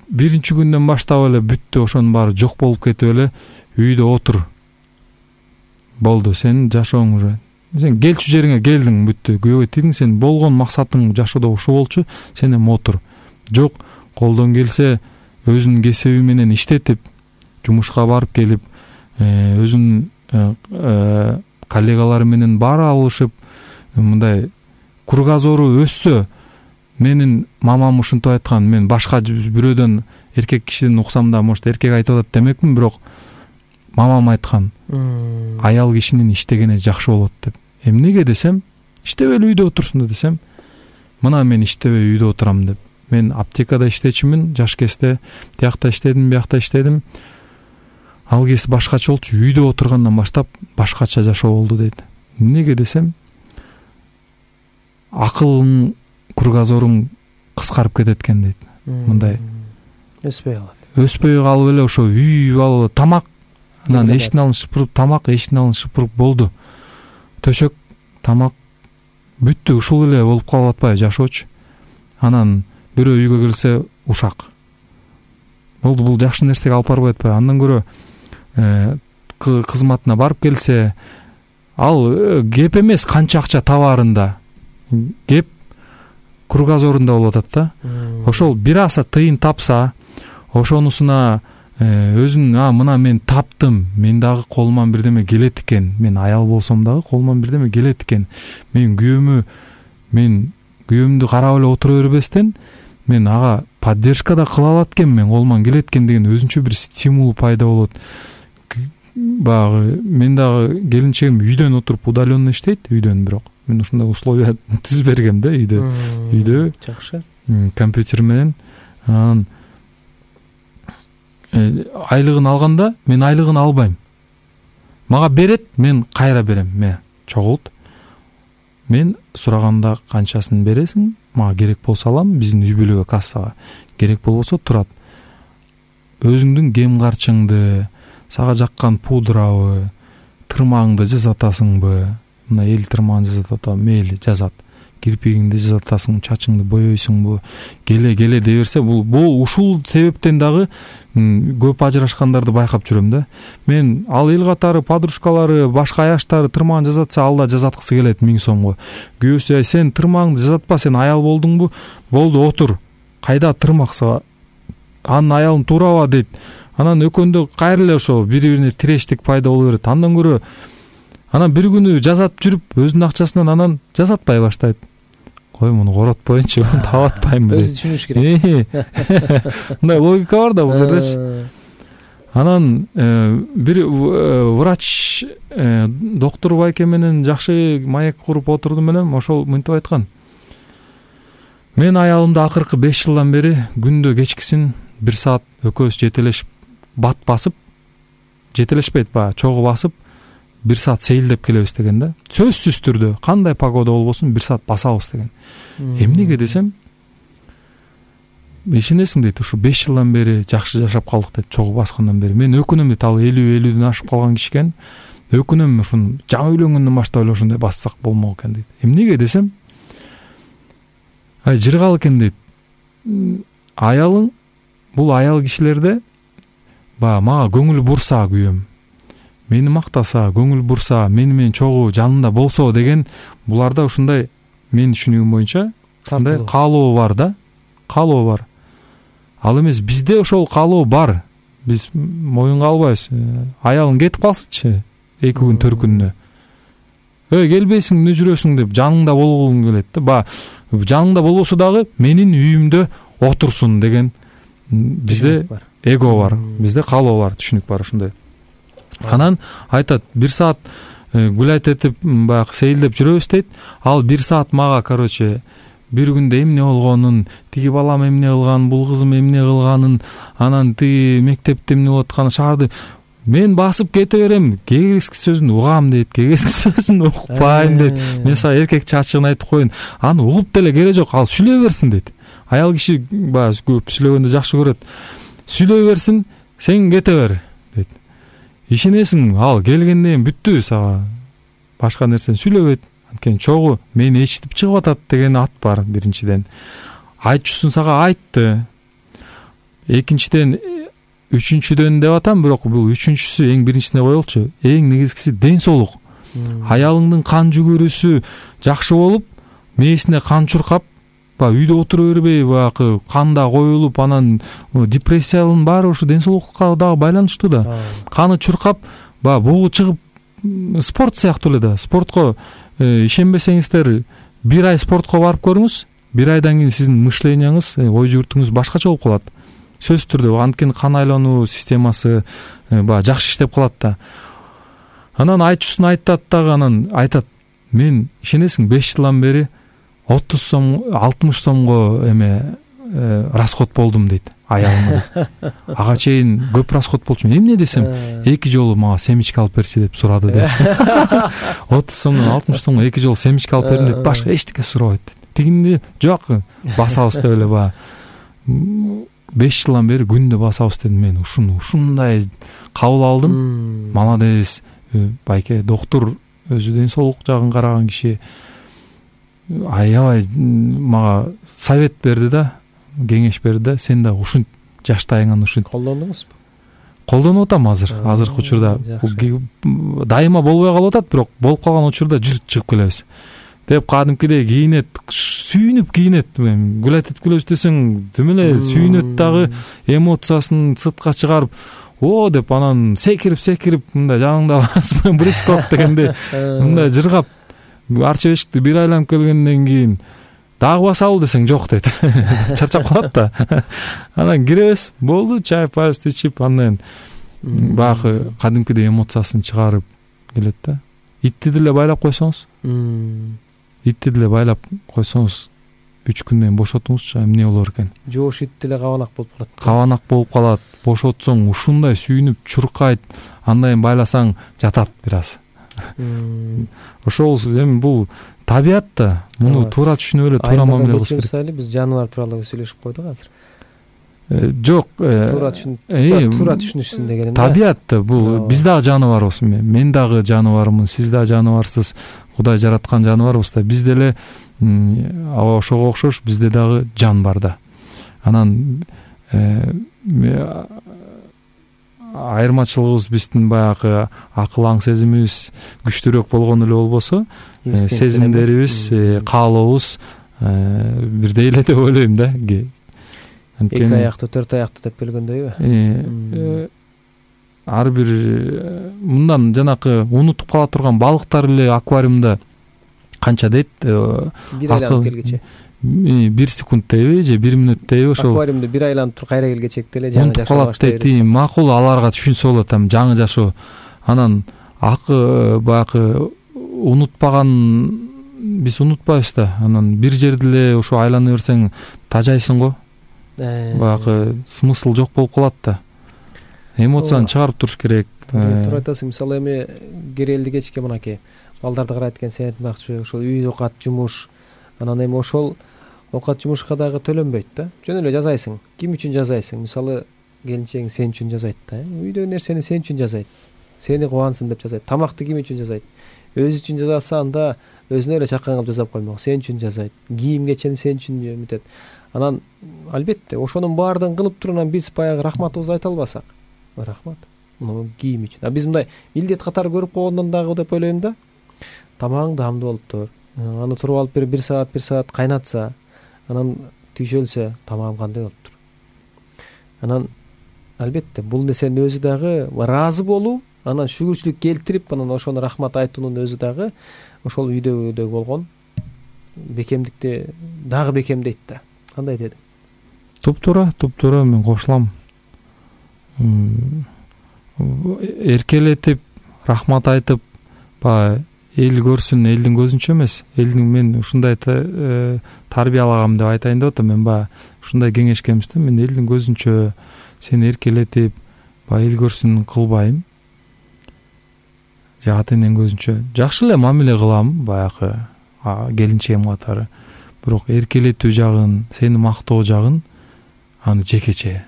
биринчи күндөн баштап эле бүттү, ошонун баары жок болуп кетип эле үйдө отур. Болду, сенин жашооң уже. Сен келчү жериңе келдиң, бүттү. Күйөөгө тийдиң, сен болгон максатың жашоодо ушул болчу, сен эми отур. Жок, колдон келсе өзүнүн кесиби менен иштетип, жумушка барып келип, өзүнүн коллегалары менен баары алышып, мындай кругозору өссө, менин мамам ушинтип айткан, мен башка бирөөдөн, эркек кишиден уксам да, может эркек айтып атат демекмин, бирок мамам айткан, аял кишинин иштегени жакшы болот деп. Эмнеге десем, иштебей үйдө отурсун десем, мына мен иштебей үйдө отурам деп. Мен аптекада иштечимин, жаш кезде тиякта иштедим, биякта иштедим. Ал кез башкача болчу, үйдө отургандан баштап башкача жашоо болду дейт. Эмнеге десем, акылың, кругозоруң кыскарып кетет экен дейт. Мындай өспөй калып эле ошо үй алып тамак, анан эшиктин алдын шыпырып, тамак эшиктин алдын шыпырып болду. Төшөк, тамак бүттү, ушул эле болуп калып атпайбы жашоочу. Анан бирөө үйгө келсе ушак. Болду, бул жакшы нерсеге алып барбай атпайбы? Андан көрө кызматына барып келсе, ал кеп эмес канча акча табаарында, кеп кругозорунда болуп атат да. Ошол бир аса тыйын тапса, ошонусуна өзүн, мына мен таптым, мен дагы колуман бирдеме келет экен, мен аял болсом дагы колуман бирдеме келет экен, мен күйөөмдү карап эле отура бербестен, мен ага поддержка да кыла алат экен, мен колуман келет экен деген өзүнчө бир стимул пайда болот. Баягы мен дагы келинчегим үйдөн отуруп удаленно иштейт, үйдөн, бирок мен ушундай условия түзүп бергем да үйдө жакшы компьютер менен. Анан айлыгын алганда мен айлыгын албайм, мага берет, мен кайра берем. Чогулт, мен сураганда канчасын бересиң, мага керек болсо алам, биздин үй бүлөгө кассага, керек болбосо турат. Өзүңдүн кем карчыңды, сага жаккан пудрабы, тырмагыңды жасатасыңбы? Мына эл тырмагын жасатат, мейли жазат. Кирпигиңди жасатасың, чачыңды боёйсуңбу? Келе дей берсе, бул ушул себептен дагы көп ажырашкандарды байкап жүрөм да. Мен ал эл катары подружкалары, башка аяштары тырмагын жасатса, ал да жасаткысы келет 1000 сомго. Күйөөсү, сен тырмагыңды жасатпа, сен аял болдуңбу? Болду, отур. Кайда тырмак сага? Анын аялын тураба дейт. Анан өкөндө кайра эле ошо бири-бирине тирештик пайда боло берет. Андан көрө анан бир күнү жасап жүрүп, өзүнүн акчасынан анан жасатпай баштайт. Кой, муну коротпоюнчу, табатпайм. Өзү түшүнүш керек. Мындай логика бар да бул жердечи. Анан бир врач, доктор байке менен жакшы маек куруп отурдум элем, ошол мынтип айткан. Мен аялымды акыркы 5 жылдан бери күндө кечкисин 1 саат экөөбүз жетелешип, бат басып, жетелешпейт, чогуу басып, 1 саат сейилдеп келебиз деген да. Сөзсүз түрдө кандай погода болбосун 1 саат басабыз деген. Эмнеге десем, ишенесиң дейт, ушу 5 жылдан бери жакшы жашап калдык дейт, чогуу баскандан бери. Мен өкүнөм дейт, ал 50-50ден ашып калган киши экен. Өкүнөм, ушун жаңы үйлөнгөндөн баштап эле ошондой бассак болмок экен дейт. Эмнеге десем, жыргал экен дейт. Аялың, бул аял кишилерде мага көңүл бурса, күйөөм, мени мактаса, көңүл бурса, мени менен чогуу жанында болсо деген, буларда ушундай, мен түшүнүгүм боюнча, ушундай каалоо бар да, каалоо бар. Ал эмес, бизде ошол каалоо бар. Биз моюнга албайбыз. Аялың кетип калсынчы 2 күн 4 күнүнө. Келбейсиң, эмне жүрөсүң деп жаныңда болгуң келет да. Жаныңда болбосо дагы менин үйүмдө отурсун деген бизде эго бар, бизде каалоо бар, түшүнүк бар ушундай. Анан айтат 1 саат гулять этип баягы сейилдеп жүрөбүз дейт. Ал 1 саат мага короче бир күндө эмне болгонун, тиги балам эмне кылганын, бул кызым эмне кылганын, анан тиги мектепте эмне болуп атканын, шаарды мен басып кете берем. Кегески сөзүн угам дейт, кегески сөзүн укпайм дейт. Мен сага эркекче ачыгын айтып коеюн, аны угуп деле кереги жок, ал сүйлөй берсин дейт. Аял киши баягы көп сүйлөгөндү жакшы көрөт. Сүйлөй берсин, сен кете бер дейт. Ишенесиң, ал келгенден кийин бүттү, сага башка нерсени сүйлөбөйт. Анткени чогуу мени ичитип чыгып атат деген ат бар биринчиден. Айтчусун сага айтты. Экинчиден, үчүнчүдөн деп атам, бирок бул үчүнчүсү эң биринчисине коелучу. Эң негизгиси ден соолук. Аялыңдын кан жүгүрүсү жакшы болуп, мээсине кан чуркап, үйдө отура бербей, баягы канда коюлуп, анан депрессиянын баары ушу ден соолукка дагы байланыштуу да. Каны чуркап, бугу чыгып, спорт сыяктуу эле да. Спортко ишенбесеңиздер, 1 ай спортко барып көрүңүз. 1 айдан кийин сиздин мышлениеңиз, ой жүгүртүңүз башкача болуп калат. Сөзсүз түрдө, анткени кан айлануу системасы жакшы иштеп калат да. Анан айтчусун айтат дагы, анан айтат, мен ишенесиң 5 жылдан бери 30 сом, 60 сомго расход болдум дейт, аялыма. Ага чейин көп расход болчумун. Эмне десем, 2 жолу мага семечка алып берчи деп сурады дейт. 30 сомдон 60 сомго 2 жолу семечка алып бердим дейт, башка эчтеке сурабайт дейт. Тигинде жок, басабыз деп эле 5 жылдан бери күндө басабыз дедим. Мен ушундай кабыл алдым. Молодец, байке доктур, өзү ден соолук жагын караган киши. Аябай мага совет берди да, кеңеш берди да, сен да ушунт жаштайыңан ушунт колдондуңузбу? Колдонуп атам азыркы учурда. Дайыма болбой калып атат, бирок болуп калган учурда жүрүп чыгып келебиз. Деп кадимкидей кийинет, сүйүнүп кийинет. Гулять этип келебиз десең, тим эле сүйүнөт дагы, эмоциясын сыртка чыгарып, о деп анан секирип мындай жаныңда баспай брископ дегенде мындай жыргап, арча бешикти 1 айланып келгенден кийин дагы басабыл десең жок дейт. Чарчап калат да. Анан киребиз, болду, чай паст ичип, андан баягы кадимкидей эмоциясын чыгарып келет да. Итти деле байлап койсоңуз, 3 күндөн бошотуңузчу, эмне болор экен? Жоош ит деле кабанак болуп калат. Кабанак болуп калат. Бошотсоң ушундай сүйүнүп чуркайт, андан байласаң жатат бир аз. Ошол эми бул табият да. Муну туура түшүнүп эле туура мамиле кылыш керек. Мисалы биз жаныбар тууралуу сүйлөшүп койдук азыр. Жок, туура түшүнүшсүн деген. Табият да, бул биз дагы жаныбарбыз. Мен дагы жаныбармын, сиз дагы жаныбарсыз. Кудай жараткан жаныбарбыз да. Биз деле ошого окшош бизде дагы жан бар да. Анан айырмачылыгыбыз биздин баягы акыл аң сезимибиз күчтүүрөөк болгону эле болбосо, сезимдерибиз, каалообуз бирдей эле деп ойлойм да. 2 аяктуу, 4 аяктуу деп келгөндөйбү? Ар бир мындан жанакы унутуп кала турган балыктар эле аквариумда канча дейт? 1 айланып келгече. 1 секунд дейби же 1 минут дейби, ошол. Аквариумда 1 айланып туруп кайра келгечек деле жаңы жашоо баштайт. Макул, аларга түшүнсө болот, жаңы жашоо. Анан баягы унутпаган, биз унутпайбыз да. Анан бир жерде эле ошо айлана берсең тажайсың го. Баягы смысл жок болуп калат да. Эмоцияны чыгарып туруш керек. Туура айтасың. Мисалы эми керелди кечке мынакей балдарды карайт экен, сен айтмакчы, ошол үй окат, жумуш. Анан эми ошол окат жумушка дагы төлөнбөйт да. Жөн эле жазайсың. Ким үчүн жазайсың? Мисалы келинчегиң сен үчүн жазайт да. Үйдөгү нерсени сен үчүн жазайт. Сени кубансын деп жазайт. Тамакты ким үчүн жазайт? Өзү үчүн жазса, анда өзүнө эле чакан кылып жасап коймок. Сен үчүн жазайт. Кийим кечени сен үчүн үмүтет. Анан албетте ошонун баардыгын кылып турган биз баягы рахматыбызды айта албасак, рахмат. Муну кийим үчүн. Биз мындай милдет катары көрүп койгондон дагы деп ойлойм да. Тамагың даамдуу болуптур. Аны туруп алып 1 саат кайнатса, анан түйшөлсө, тамагым кандай болуптур. Анан албетте бул нерсенин өзү дагы ыраазы болуу, анан шүгүрчүлүк келтирип, анан ошону рахмат айтуунун өзү дагы ошол үйдөгү болгон бекемдикти дагы бекемдейт да. Кандай дедиң? туптуура мен кошулам. Эркелетип, рахмат айтып, баягы эл көрсүн, элдин көзүнчө эмес, мен ушундай тарбиялагам деп айтайын деп атам. Мен баягы ушундай кеңешкемиз да, мен элдин көзүнчө сени эркелетип, баягы эл көрсүн кылбайм. Же ата эненин көзүнчө жакшы эле мамиле кылам баягы келинчегим катары. Бирок эркелетүү жагын, сени мактоо жагын аны жекече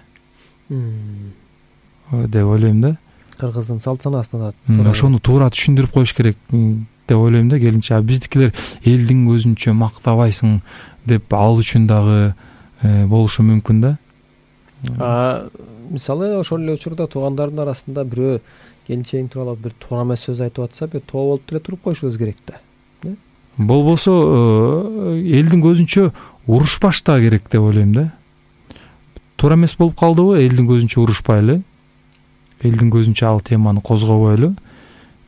деп ойлойм да. Кыргыздын салт санаасына ошону туура түшүндүрүп коюш керек деп ойлойм да келинче. Биздикилер элдин көзүнчө мактабайсың деп ал үчүн дагы болушу мүмкүн да. Мисалы ошол эле учурда туугандардын арасында бирөө келинчегиң тууралуу бир туура эмес сөз айтып атса, бир тоо болуп деле туруп коюшубуз керек да. Болбосо элдин көзүнчө урушпаш да керек деп ойлойм да. Туура эмес болуп калдыбы, элдин көзүнчө урушпайлы, элдин көзүнчө ал теманы козгобойлу,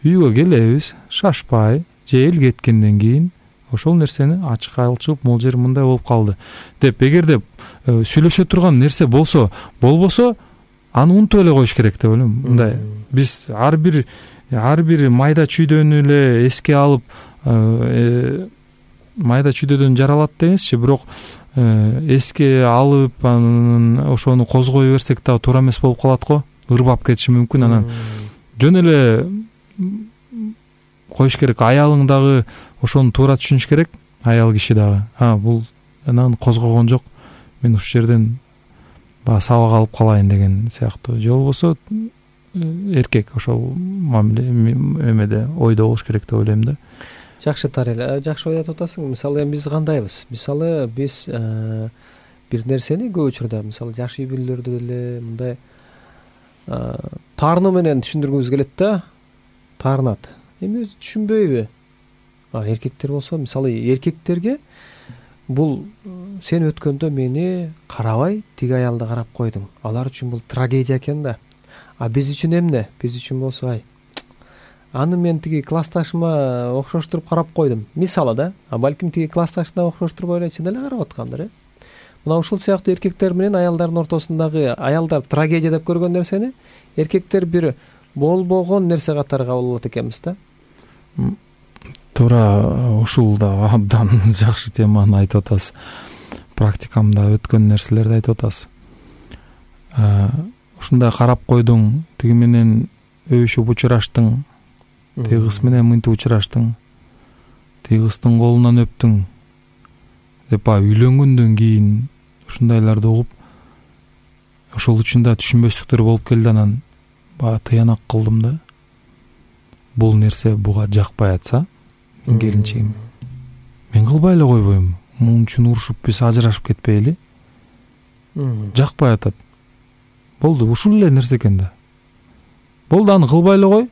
үйгө келебиз, шашпай, же эл кеткенден кийин ошол нерсени ачык айтып, могул жер мындай болуп калды деп, эгерде сүйлөшө турган нерсе болбосо, аны унутуп эле коюш керек деп ойлойм. Мындай биз ар бир майда чүйдөнү эле эске алып, майда чүйдөдөн жаралат дегенсичи, бирок эске алып анын ошону козгой берсек дагы туура эмес болуп калат го, ырбап кетиши мүмкүн. Анан жөн эле коюш керек. Аялың дагы ошону туура түшүнүш керек, аял киши дагы. Бул анан козгогон жок, мен ушул жерден баягы сабак алып калайын деген сыяктуу. Же болбосо эркек ошол мамиле эмеде ойдо болуш керек деп ойлойм да. Жакшы Тарел, жакшы ой айтып атасың. Мисалы биз кандайбыз? Мисалы биз бир нерсени көп учурда, мисалы жаш үй бүлөлөрдө деле мындай таарынуу менен түшүндүргүбүз келет да. Таарынат. Эми өзү түшүнбөйбү? Эркектер болсо, мисалы эркектерге бул сен өткөндө мени карабай тиги аялды карап койдуң. Алар үчүн бул трагедия экен да. Биз үчүн эмне? Биз үчүн болсо аны мен тиги классташыма окшоштуруп карап койдум. Мисалы да, балким тиги классташына окшоштурбой эле чын эле карап аткандыр. Мына ушул сыяктуу эркектер менен аялдардын ортосундагы, аялдар трагедия деп көргөн нерсени эркектер бир болбогон нерсе катары кабыл алат экенбиз да. Туура, ушул да абдан жакшы теманы айтып атасыз. Практикамда өткөн нерселерди айтып атасыз. Ушундай карап койдуң, тиги менен өбүшүп учураштың, тиги кыз менен мынтип учураштың, тиги кыздын колунан өптүң деп үйлөнгөндөн кийин ушундайларды угуп, ошол үчүн да түшүнбөстүктөр болуп келди. Анан тыянак кылдым да. Бул нерсе буга жакпай атса, келинчегим, мен кылбай эле койбойм. Мунун үчүн урушуп биз ажырашып кетпейли. Жакпай атат. Болду, ушул эле нерсе экен да. Болду, аны кылбай эле кой.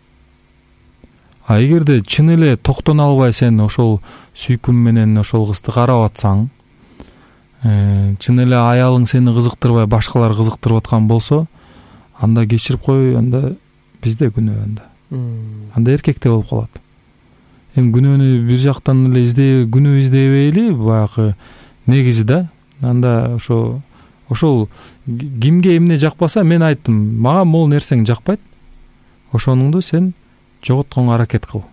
Эгерде чын эле токтоно албай сен ошол сүйкүм менен ошол кызды карап атсаң, чын эле аялың сени кызыктырбай башкалар кызыктырып аткан болсо, анда кечирип кой, анда бизде күнөө анда эркекте болуп калат. Эми күнөөнү бир жактан эле күнөө издебейли, баягы негизи да. Анда ошол кимге эмне жакпаса, мен айттым, мага могул нерсең жакпайт, ошонуңду сен жоготконго аракет кыл.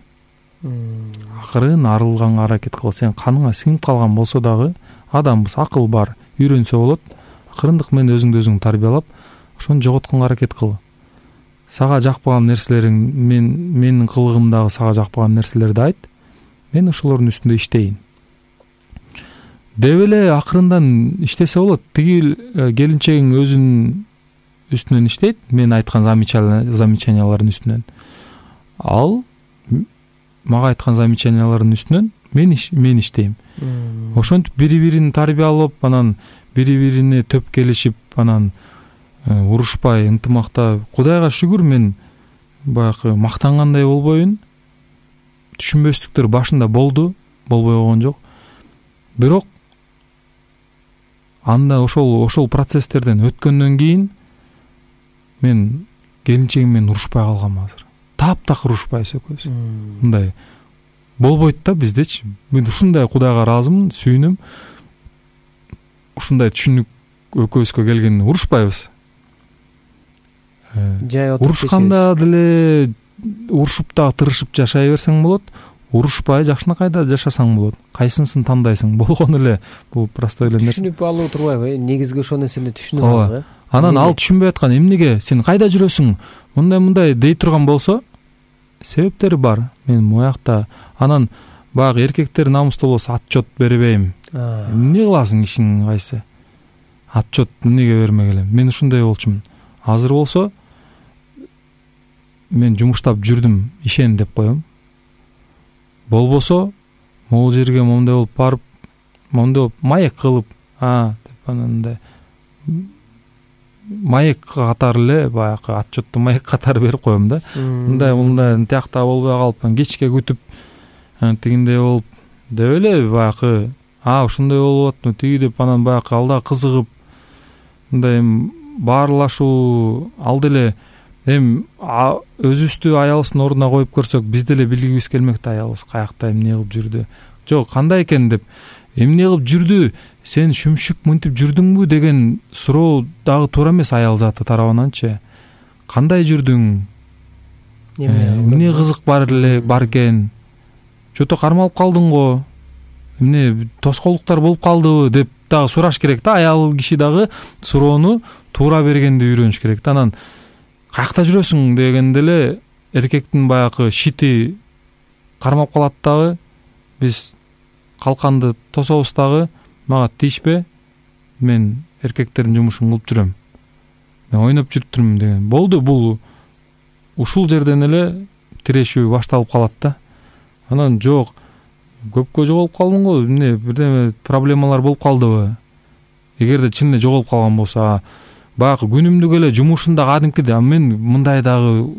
Акырын арылганга аракет кыл. Сен каныңа сиңип калган болсо дагы, адамбыз, акыл бар, үйрөнсө болот. Акырындык менен өзүңдү өзүң тарбиялап, ошону жоготконго аракет кыл. Сага жакпаган нерселериң, менин кылыгымдагы сага жакпаган нерселерди айт. Мен ошолордун үстүндө иштейин. Деп эле акырындан иштесе болот. Тиги келинчегиң өзүнүн үстүнөн иштейт, мен айткан замечаниялардын үстүнөн. Ал мага айткан замечаниялардын үстүнөн мен иштейм. Ошентип бири-бирин тарбиялап, анан бири-бирине төп келишип, анан урушпай, ынтымакта. Кудайга шүгүр, мен баягы мактангандай болбоюн. Түшүнбөстүктөр башында болду, болбой койгон жок. Бирок анда ошол процесстерден өткөндөн кийин мен келинчегим менен урушпай калгам азыр. Таптакыр урушпайбыз экөөбүз. Мындай болбойт да биздечи. Мен ушундай Кудайга ыраазымын, сүйүнөм. Ушундай түшүнүк экөөбүзгө келгенде урушпайбыз. Жай отуруп Урушканда деле урушуп дагы тырышып жашай берсең болот, урушпай жакшынакайда жашасаң болот. Кайсынысын тандайсың? Болгон эле бул простой эле нерсе. Түшүнүп алуу турбайбы? Негизги ошол нерсени түшүнүп Ооба. алуу. Анан ал түшүнбөй аткан эмнеге сен кайда жүрөсүң? Мындай дей турган болсо, себептери бар. Мен моякта анан баягы эркектер намустуу болсо отчет бербейм. Эмне кыласың ишиң кайсы? Отчет эмнеге бермек элем? Мен ушундай болчумун. Азыр болсо мен жумуштап жүрдүм, ишен деп коем. Болбосо могул жерге момундай болуп барып, момундай болуп маек кылып, деп анандай маек катары эле баягы отчетту маек катары берип коем да. Мындай тиякта болбой калып, кечке күтүп, тигиндей болуп деп эле баягы ушундай болуп атпы, тиги деп анан баягы алда кызыгып, мындай баарлашуу, ал деле өзүбүздү аялыбыздын ордуна коюп көрсөк, биз деле билгибиз келмек да, аялыбыз каякта эмне кылып жүрдү, жок кандай экен деп, эмне кылып жүрдү, сен шүмшүк мынтип жүрдүңбү деген суроо дагы туура эмес аял заты тарабынанчы. Кандай жүрдүң? Эмне кызык бар экен? Жото кармалып калдың го? Эмне тоскоолдуктар болуп калдыбы деп дагы сураш керек да. Аял киши дагы суроону туура бергенди үйрөнүш керек да. Анан каякта жүрөсүң дегенде эле эркектин баягы шити кармап калат дагы. Биз калканды тособуз дагы, мага тийишпе, мен эркектердин жумушун кылып жүрөм, мен ойноп жүрүптүрмүн деген. Болду, бул ушул жерден эле тирешүү башталып калат да. Анан жок, көпкө жоголуп калдың го, эмне бирдеме проблемалар болуп калдыбы? Эгерде чын эле жоголуп калган болсо, баягы күнүмдүк эле жумушунда кадимкиде, мен мындай дагы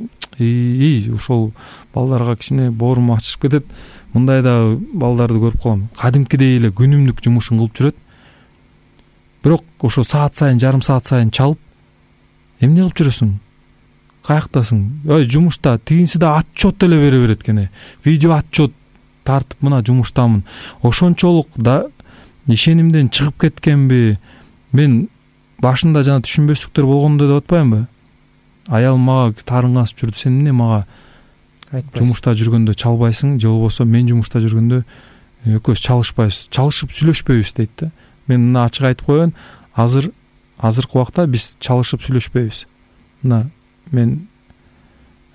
ошол балдарга кичине боорум ачышып кетет. Мындай дагы балдарды көрүп калам. Кадимкидей эле күнүмдүк жумушун кылып жүрөт. Бирок ошо саат сайын, жарым саат сайын чалып, эмне кылып жүрөсүң? Каяктасың? Жумушта, тигинси да отчет деле бере берет экен. Видео отчет тартып, мына жумуштамын. Ошончолук да ишенимден чыгып кеткенби? Мен башында жана түшүнбөстүктөр болгондо деп атпаймынбы? Аял мага тарын касып жүрдү. Сен эмне мага жумушта жүргөндө чалбайсың, же болбосо мен жумушта жүргөндө экөөбүз чалышпайбыз, чалышып сүйлөшпөйбүз дейт да. Мен мына ачык айтып коеюн, азыркы убакта биз чалышып сүйлөшпөйбүз. Мына мен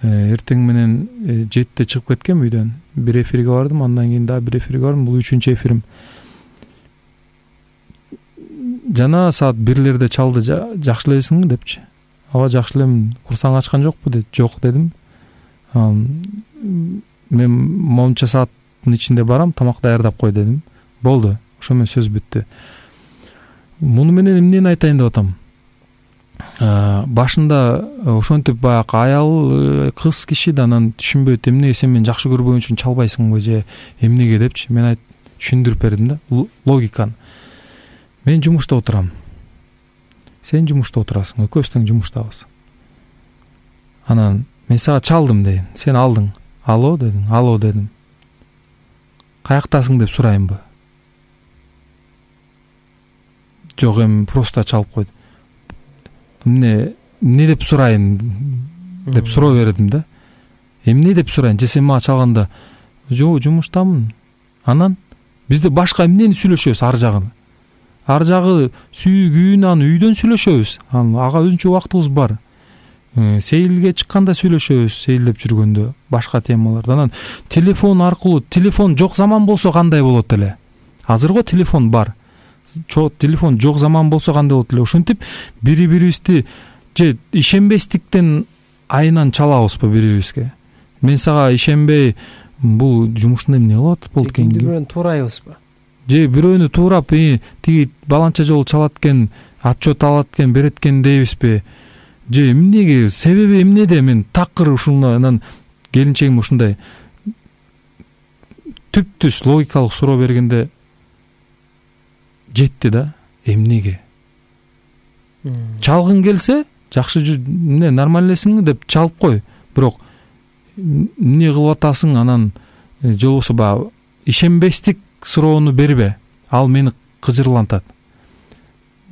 эртең менен 7-те чыгып кеткем үйдөн. Бир эфирге бардым, андан кийин дагы бир эфирге бардым. Бул 3-үчү эфирим. Жана саат 1-лерде чалды, жакшы элесиңби депчи. Ооба, жакшы элем. Курсаң ачкан жокпу деп. Жок дедим. Мен монча сааттын ичинде барам, тамак даярдап кой дедим. Болду. Ошо менен сөз бүттү. Муну менен эмнени айтайын деп атам? Башында ошентип баягы аял кыз киши да анан түшүнбөйт, эмнеге сен мени жакшы көрбөгөн үчүн чалбайсыңбы же эмнеге депчи. Мен түшүндүрүп бердим да логиканы. Мен жумушта отурам. Сен жумушта отурасың, экөөбүз тең жумуштабыз. Анан мен сага чалдым дейм. Сен алдың. Алло дедиң. Алло дедим. Каяктасың деп сурайынбы? Жок, просто чалып койдум. Эмне деп сурайын деп суроо бердим да. Эмне деп сурайын? Же сен мага чалганда, жок, жумуштамын. Анан бизде башка эмнени сүйлөшөбүз ар жагын? Ар жагы сүйгүн, аны үйдөн сүйлөшөбүз. Ага өзүнчө убактыбыз бар. Сейилге чыкканда сүйлөшөбүз, сейилдеп жүргөндө башка темаларда. Анан телефон аркылуу, телефон жок заман болсо кандай болот эле? Азырго телефон бар. Телефон жок заман болсо кандай болот эле? Ошентип бири-бирибизди же ишенбестиктен айынан чалабызбы бири-бирибизге? Мен сага ишенбей, бул жумушунда эмне кылып атып болду экен? Бирөөнү туурайбызбы? Же бирөөнү туурап, тиги баланча жолу чалат экен, отчет алат экен, берет экен дейбизби? Же эмнеге, себеби эмнеде? Мен такыр ушуну анан келинчегим ушундай түп-түз логикалык суроо бергенде жетти да. Эмнеге? Чалгың келсе, жакшы эмне нормаль элесиңби деп чалып кой. Бирок эмне кылып атасың, анан же болбосо ишенбестик суроону бербе. Ал мени кыжырлантат.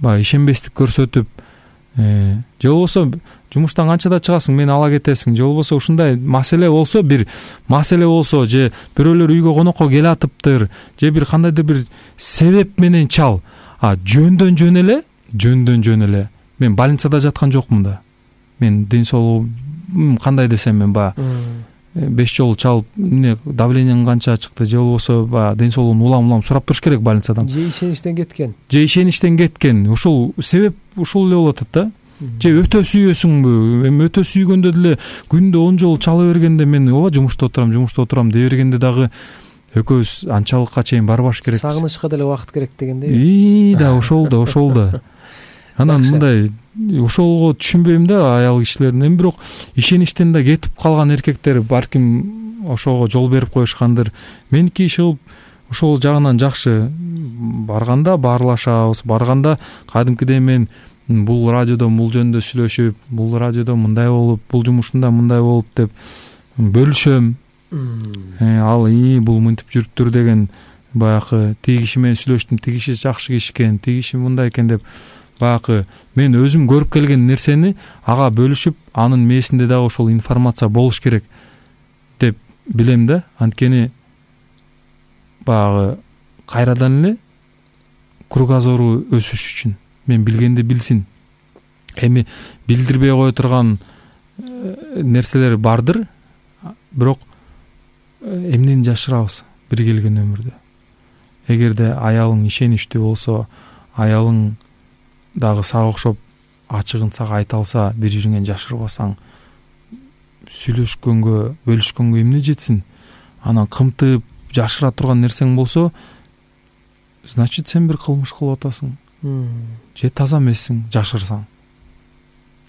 баягы ишенбестик көрсөтүп, же болбосо жумуштан канчада чыгасың, мени ала кетесиң, же болбосо ушундай маселе болсо, бир маселе болсо, же бирөөлөр үйгө конокко келатыптыр, же бир кандайдыр бир себеп менен чал. Жөндөн жөн эле мен больницада жаткан жокмун да. Мен ден соолугум кандай десем, мен баягы 5 жолу чалып, давлениең канча чыкты, же болбосо баягы ден соолугун улам сурап туруш керек больницадан. Же ишеничтен кеткен. Ушул себеп ушул эле болуп атат да. Же өтө сүйөсүңбү? Эми өтө сүйгөндө деле күндө 10 жолу чала бергенде мен ооба жумушта отурам дей бергенде дагы экөөбүз анчалыкка чейин барбаш керек. Сагынычка деле убакыт керек дегендей. Да, ошол да. Анан мындай ошолго түшүнбөйм да аял кишилердин. Эми бирок ишеничтен да кетип калган эркектер балким ошого жол берип коюшкандыр. Меники иши кылып ошол жагынан жакшы. Барганда баарлашабыз, барганда кадимкидей мен бул радиодо бул жөнүндө сүйлөшүп, бул радиодо мындай болуп, бул жумушунда мындай болуп деп бөлүшөм. Ал бул мынтип жүрүптүр деген баягы тиги киши менен сүйлөштүм, тиги киши жакшы киши экен, тиги киши мындай экен деп баягы мен өзүм көрүп келген нерсени ага бөлүшүп, анын мээсинде дагы ошол информация болуш керек деп билем да. Анткени баягы кайрадан эле кругозору өсүш үчүн мен билгенди билсин. Эми билдирбей кое турган нерселер бардыр, бирок эмнени жашырабыз бир келген өмүрдө. Эгерде аялың ишеничтүү болсо, аялың дагы сага окшоп ачыгын сага айта алса, бир жириңен жашырбасаң, сүйлөшкөнгө, бөлүшкөнгө эмне жетсин? Анан кымтып жашыра турган нерсең болсо, значит сен бир кылмыш кылып атасың. Же таза эмессиң жашырсаң.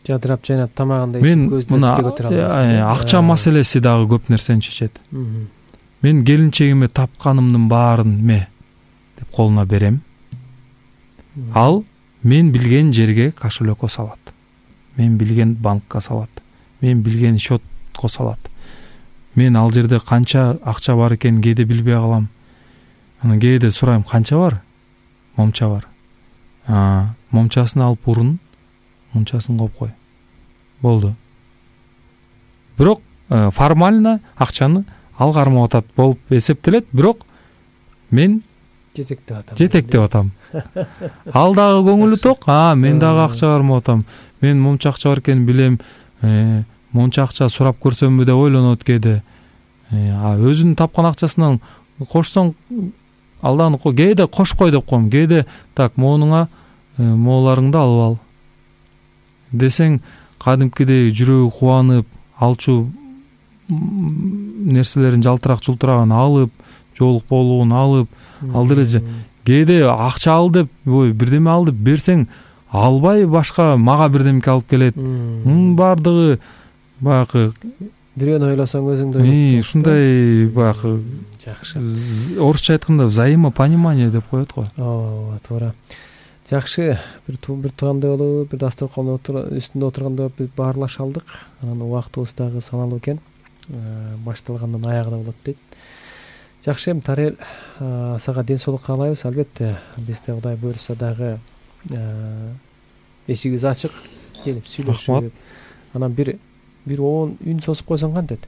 Жадырап жайнап тамагында ичип көздөн тике көтөрө албайсың. Акча маселеси дагы көп нерсени чечет. Мен келинчегиме тапканымдын баарын деп колуна берем. Ал мен билген жерге кошелёкко салат. Мен билген банкка салат. Мен билген счетко салат. Мен ал жерде канча акча бар экенин кээде билбей калам. Анан кээде сурайм, канча бар? Момча бар. Момчасын алып урун, мунчасын коюп кой. Болду. Бирок формально акчаны ал кармап атат болуп эсептелет, бирок мен жетектеп атам. Ал дагы көңүлү ток, мен дагы акча кармап атам. Мен момча акча бар экенин билем. Монча акча сурап көрсөмбү деп ойлонот кээде. Өзүнүн тапкан акчасынан кошсоң, алдан кээде кош кой деп коем. Кээде так моонуңа мооларыңды алып ал десең, кадимкидей жүрөгү кубанып, алчу нерселерин жалтырак-жултурагын алып, жоолук болугун алып, алдыры кээде акча ал деп, бирдеме ал деп берсең, албай башка мага бирдемке алып келет. Бардыгы баягы бирөөнү ойлосоң өзүңдү ойлойт. Ушундай баягы жакшы. Орусча айтканда взаимопонимание деп коет го. Ооба, туура. Жакшы, бир туугандай болуп, бир дасторкондун үстүндө отурганда биз баарлаша алдык. Анан убактыбыз дагы саналуу экен. Башталгандан аягына болот дейт. Жакшы, эми Тарел, сага ден соолук каалайбыз. Албетте, бизде Кудай буйрса дагы эшигибиз ачык, келип сүйлөшүп. Анан бир 10 үн созуп койсоң кантет?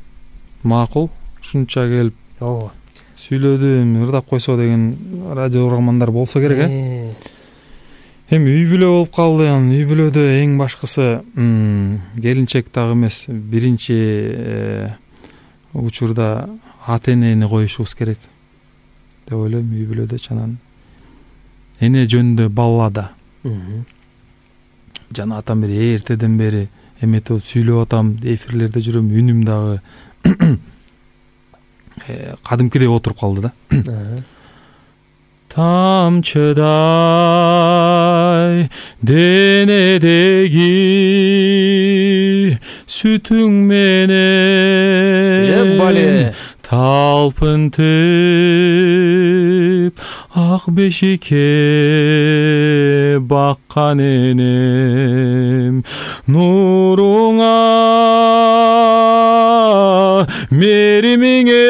Макул, ушунча келип. Ооба. Сүйлөдүм, ырдап койсо деген радио угармандар болсо керек, Эми үй бүлө болуп калды. Үй бүлөдө эң башкысы келинчек дагы эмес, биринчи учурда ата энени коюшубуз керек деп ойлойм. Үй бүлөдө чанан эне жөнүндө баллада. Жана атам бери эртеден бери эметип сүйлөп атам, эфирлерде жүрөм, үнүм дагы кадимкидей отуруп калды да. Тамчыдай денедеги сүтүң менен талпынтып ак бешикке баккан энем, нуруңа меримиңе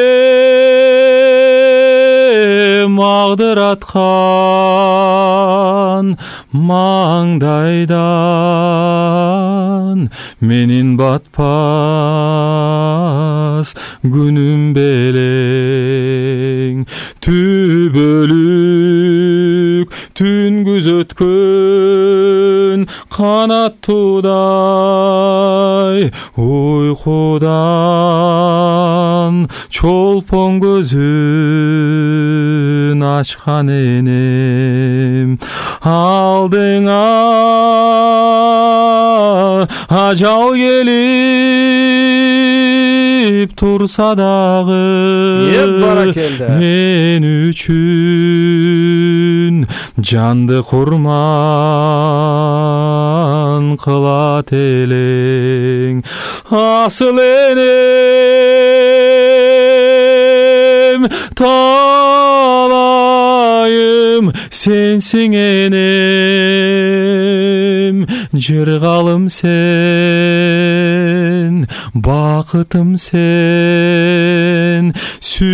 магдыраткан маңдайдан менин батпас күнүм белең түбөлүк түн күзөткөн канаттуудай уйкудан чолпон көзүн ачкан энем алдыңа ажал келип турса дагы баракелде мен үчүн жанды курман кылат элең асыл энем талайым сенсиң энем жыргалым сен бакытым сен сүйүктүү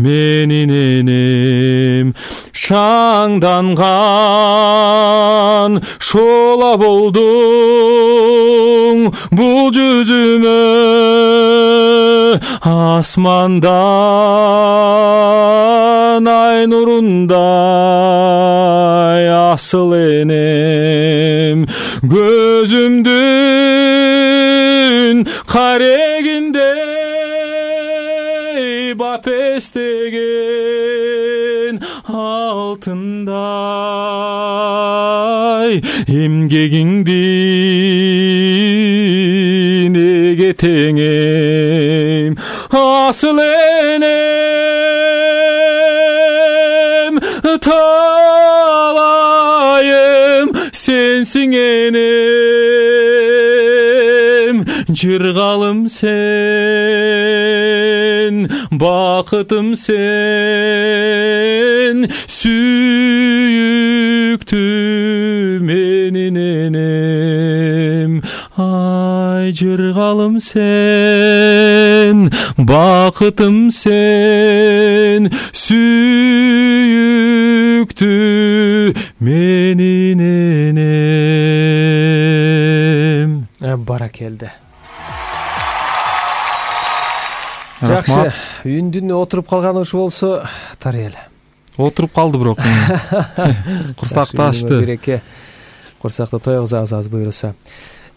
менин энем шаңданган шола болдуң бул жүзүмө асмандан ай нурундай асыл энем көзүмдүн карегиндей бапестеген алтындай эмгегиңди неге теңейм асыл энем талайым сенсиң энем жыргалым сен бакытым сен сүйүктүү менин энем ай жыргалым сен бакытым сен сүйүктүү менин энем баракелде жакшы үндүн отуруп калганы ушу болсо Тариел отуруп калды бирок курсакты ачты береке курсакты тойгузабыз аз буюрса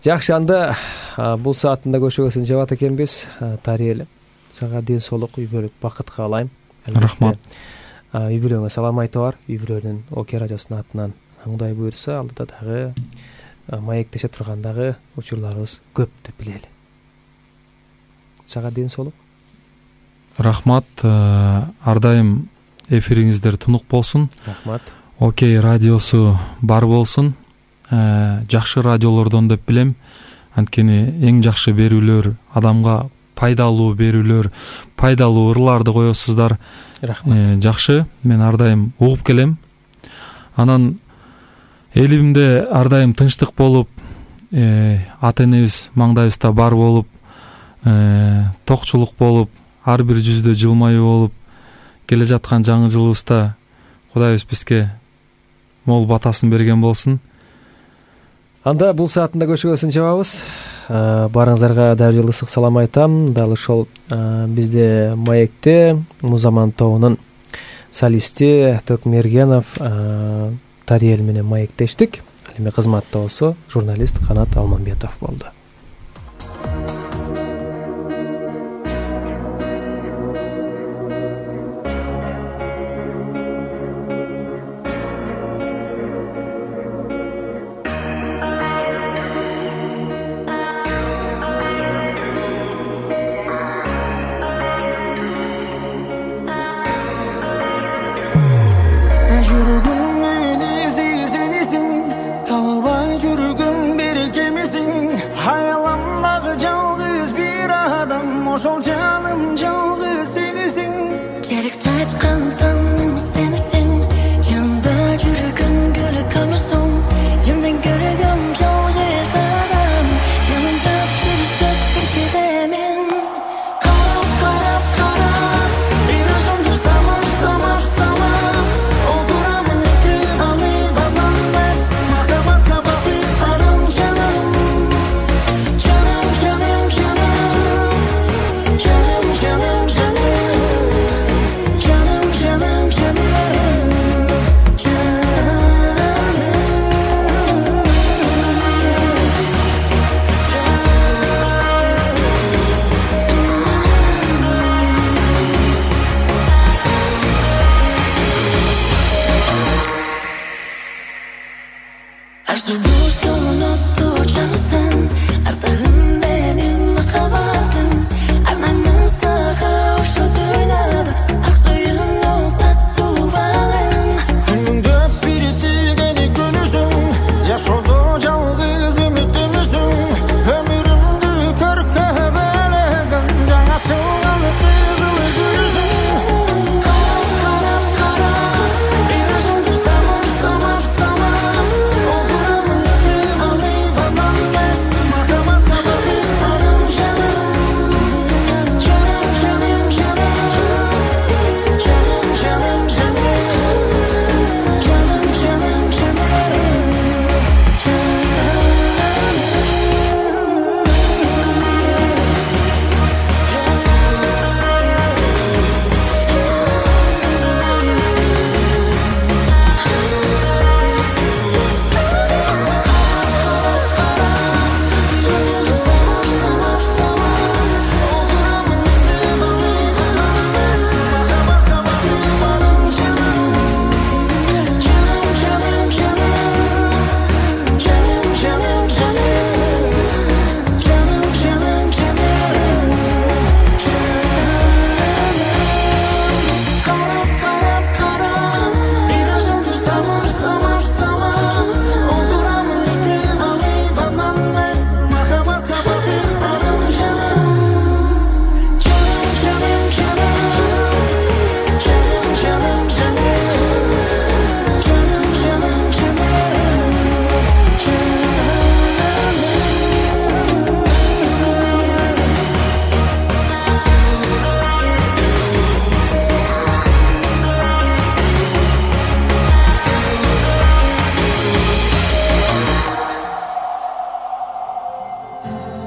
жакшы анда бул саатында көшөгөсүн жабат экенбиз Тариел сага ден соолук үй бүлөлүк бакыт каалайм рахмат үй бүлөңө салам айтып бар үй бүлөнүн ОК радиосунун атынан Кудай буйрса алдыда дагы маектеше турган дагы учурларыбыз көп деп билели сага ден соолук рахмат ар дайым эфириңиздер тунук болсун рахмат ОК радиосу бар болсун жакшы радиолордон деп билем анткени эң жакшы берүүлөр адамга пайдалуу берүүлөр пайдалуу ырларды коесуздар рахмат жакшы мен ар дайым угуп келем анан элибизде ар дайым тынчтык болуп ата энебиз маңдайыбызда бар болуп токчулук болуп ар бир жүздө жылмаюу болуп келе жаткан жаңы жылыбызда Кудайыбыз бизге мол батасын берген болсун анда бул саатында көшөгөсүн жабабыз баарыңыздарга дал эле ысык салам айтам дал ошол бизде маекте Музаман тобунун солисти Төкмергенов Тариел менен маектештик ал эми кызматта болсо журналист Канат Алмамбетов болду.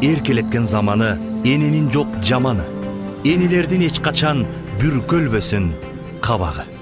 эркелеткен заманы, эненин жок жаманы. Энелердин эч качан бүркөлбөсүн кабагы.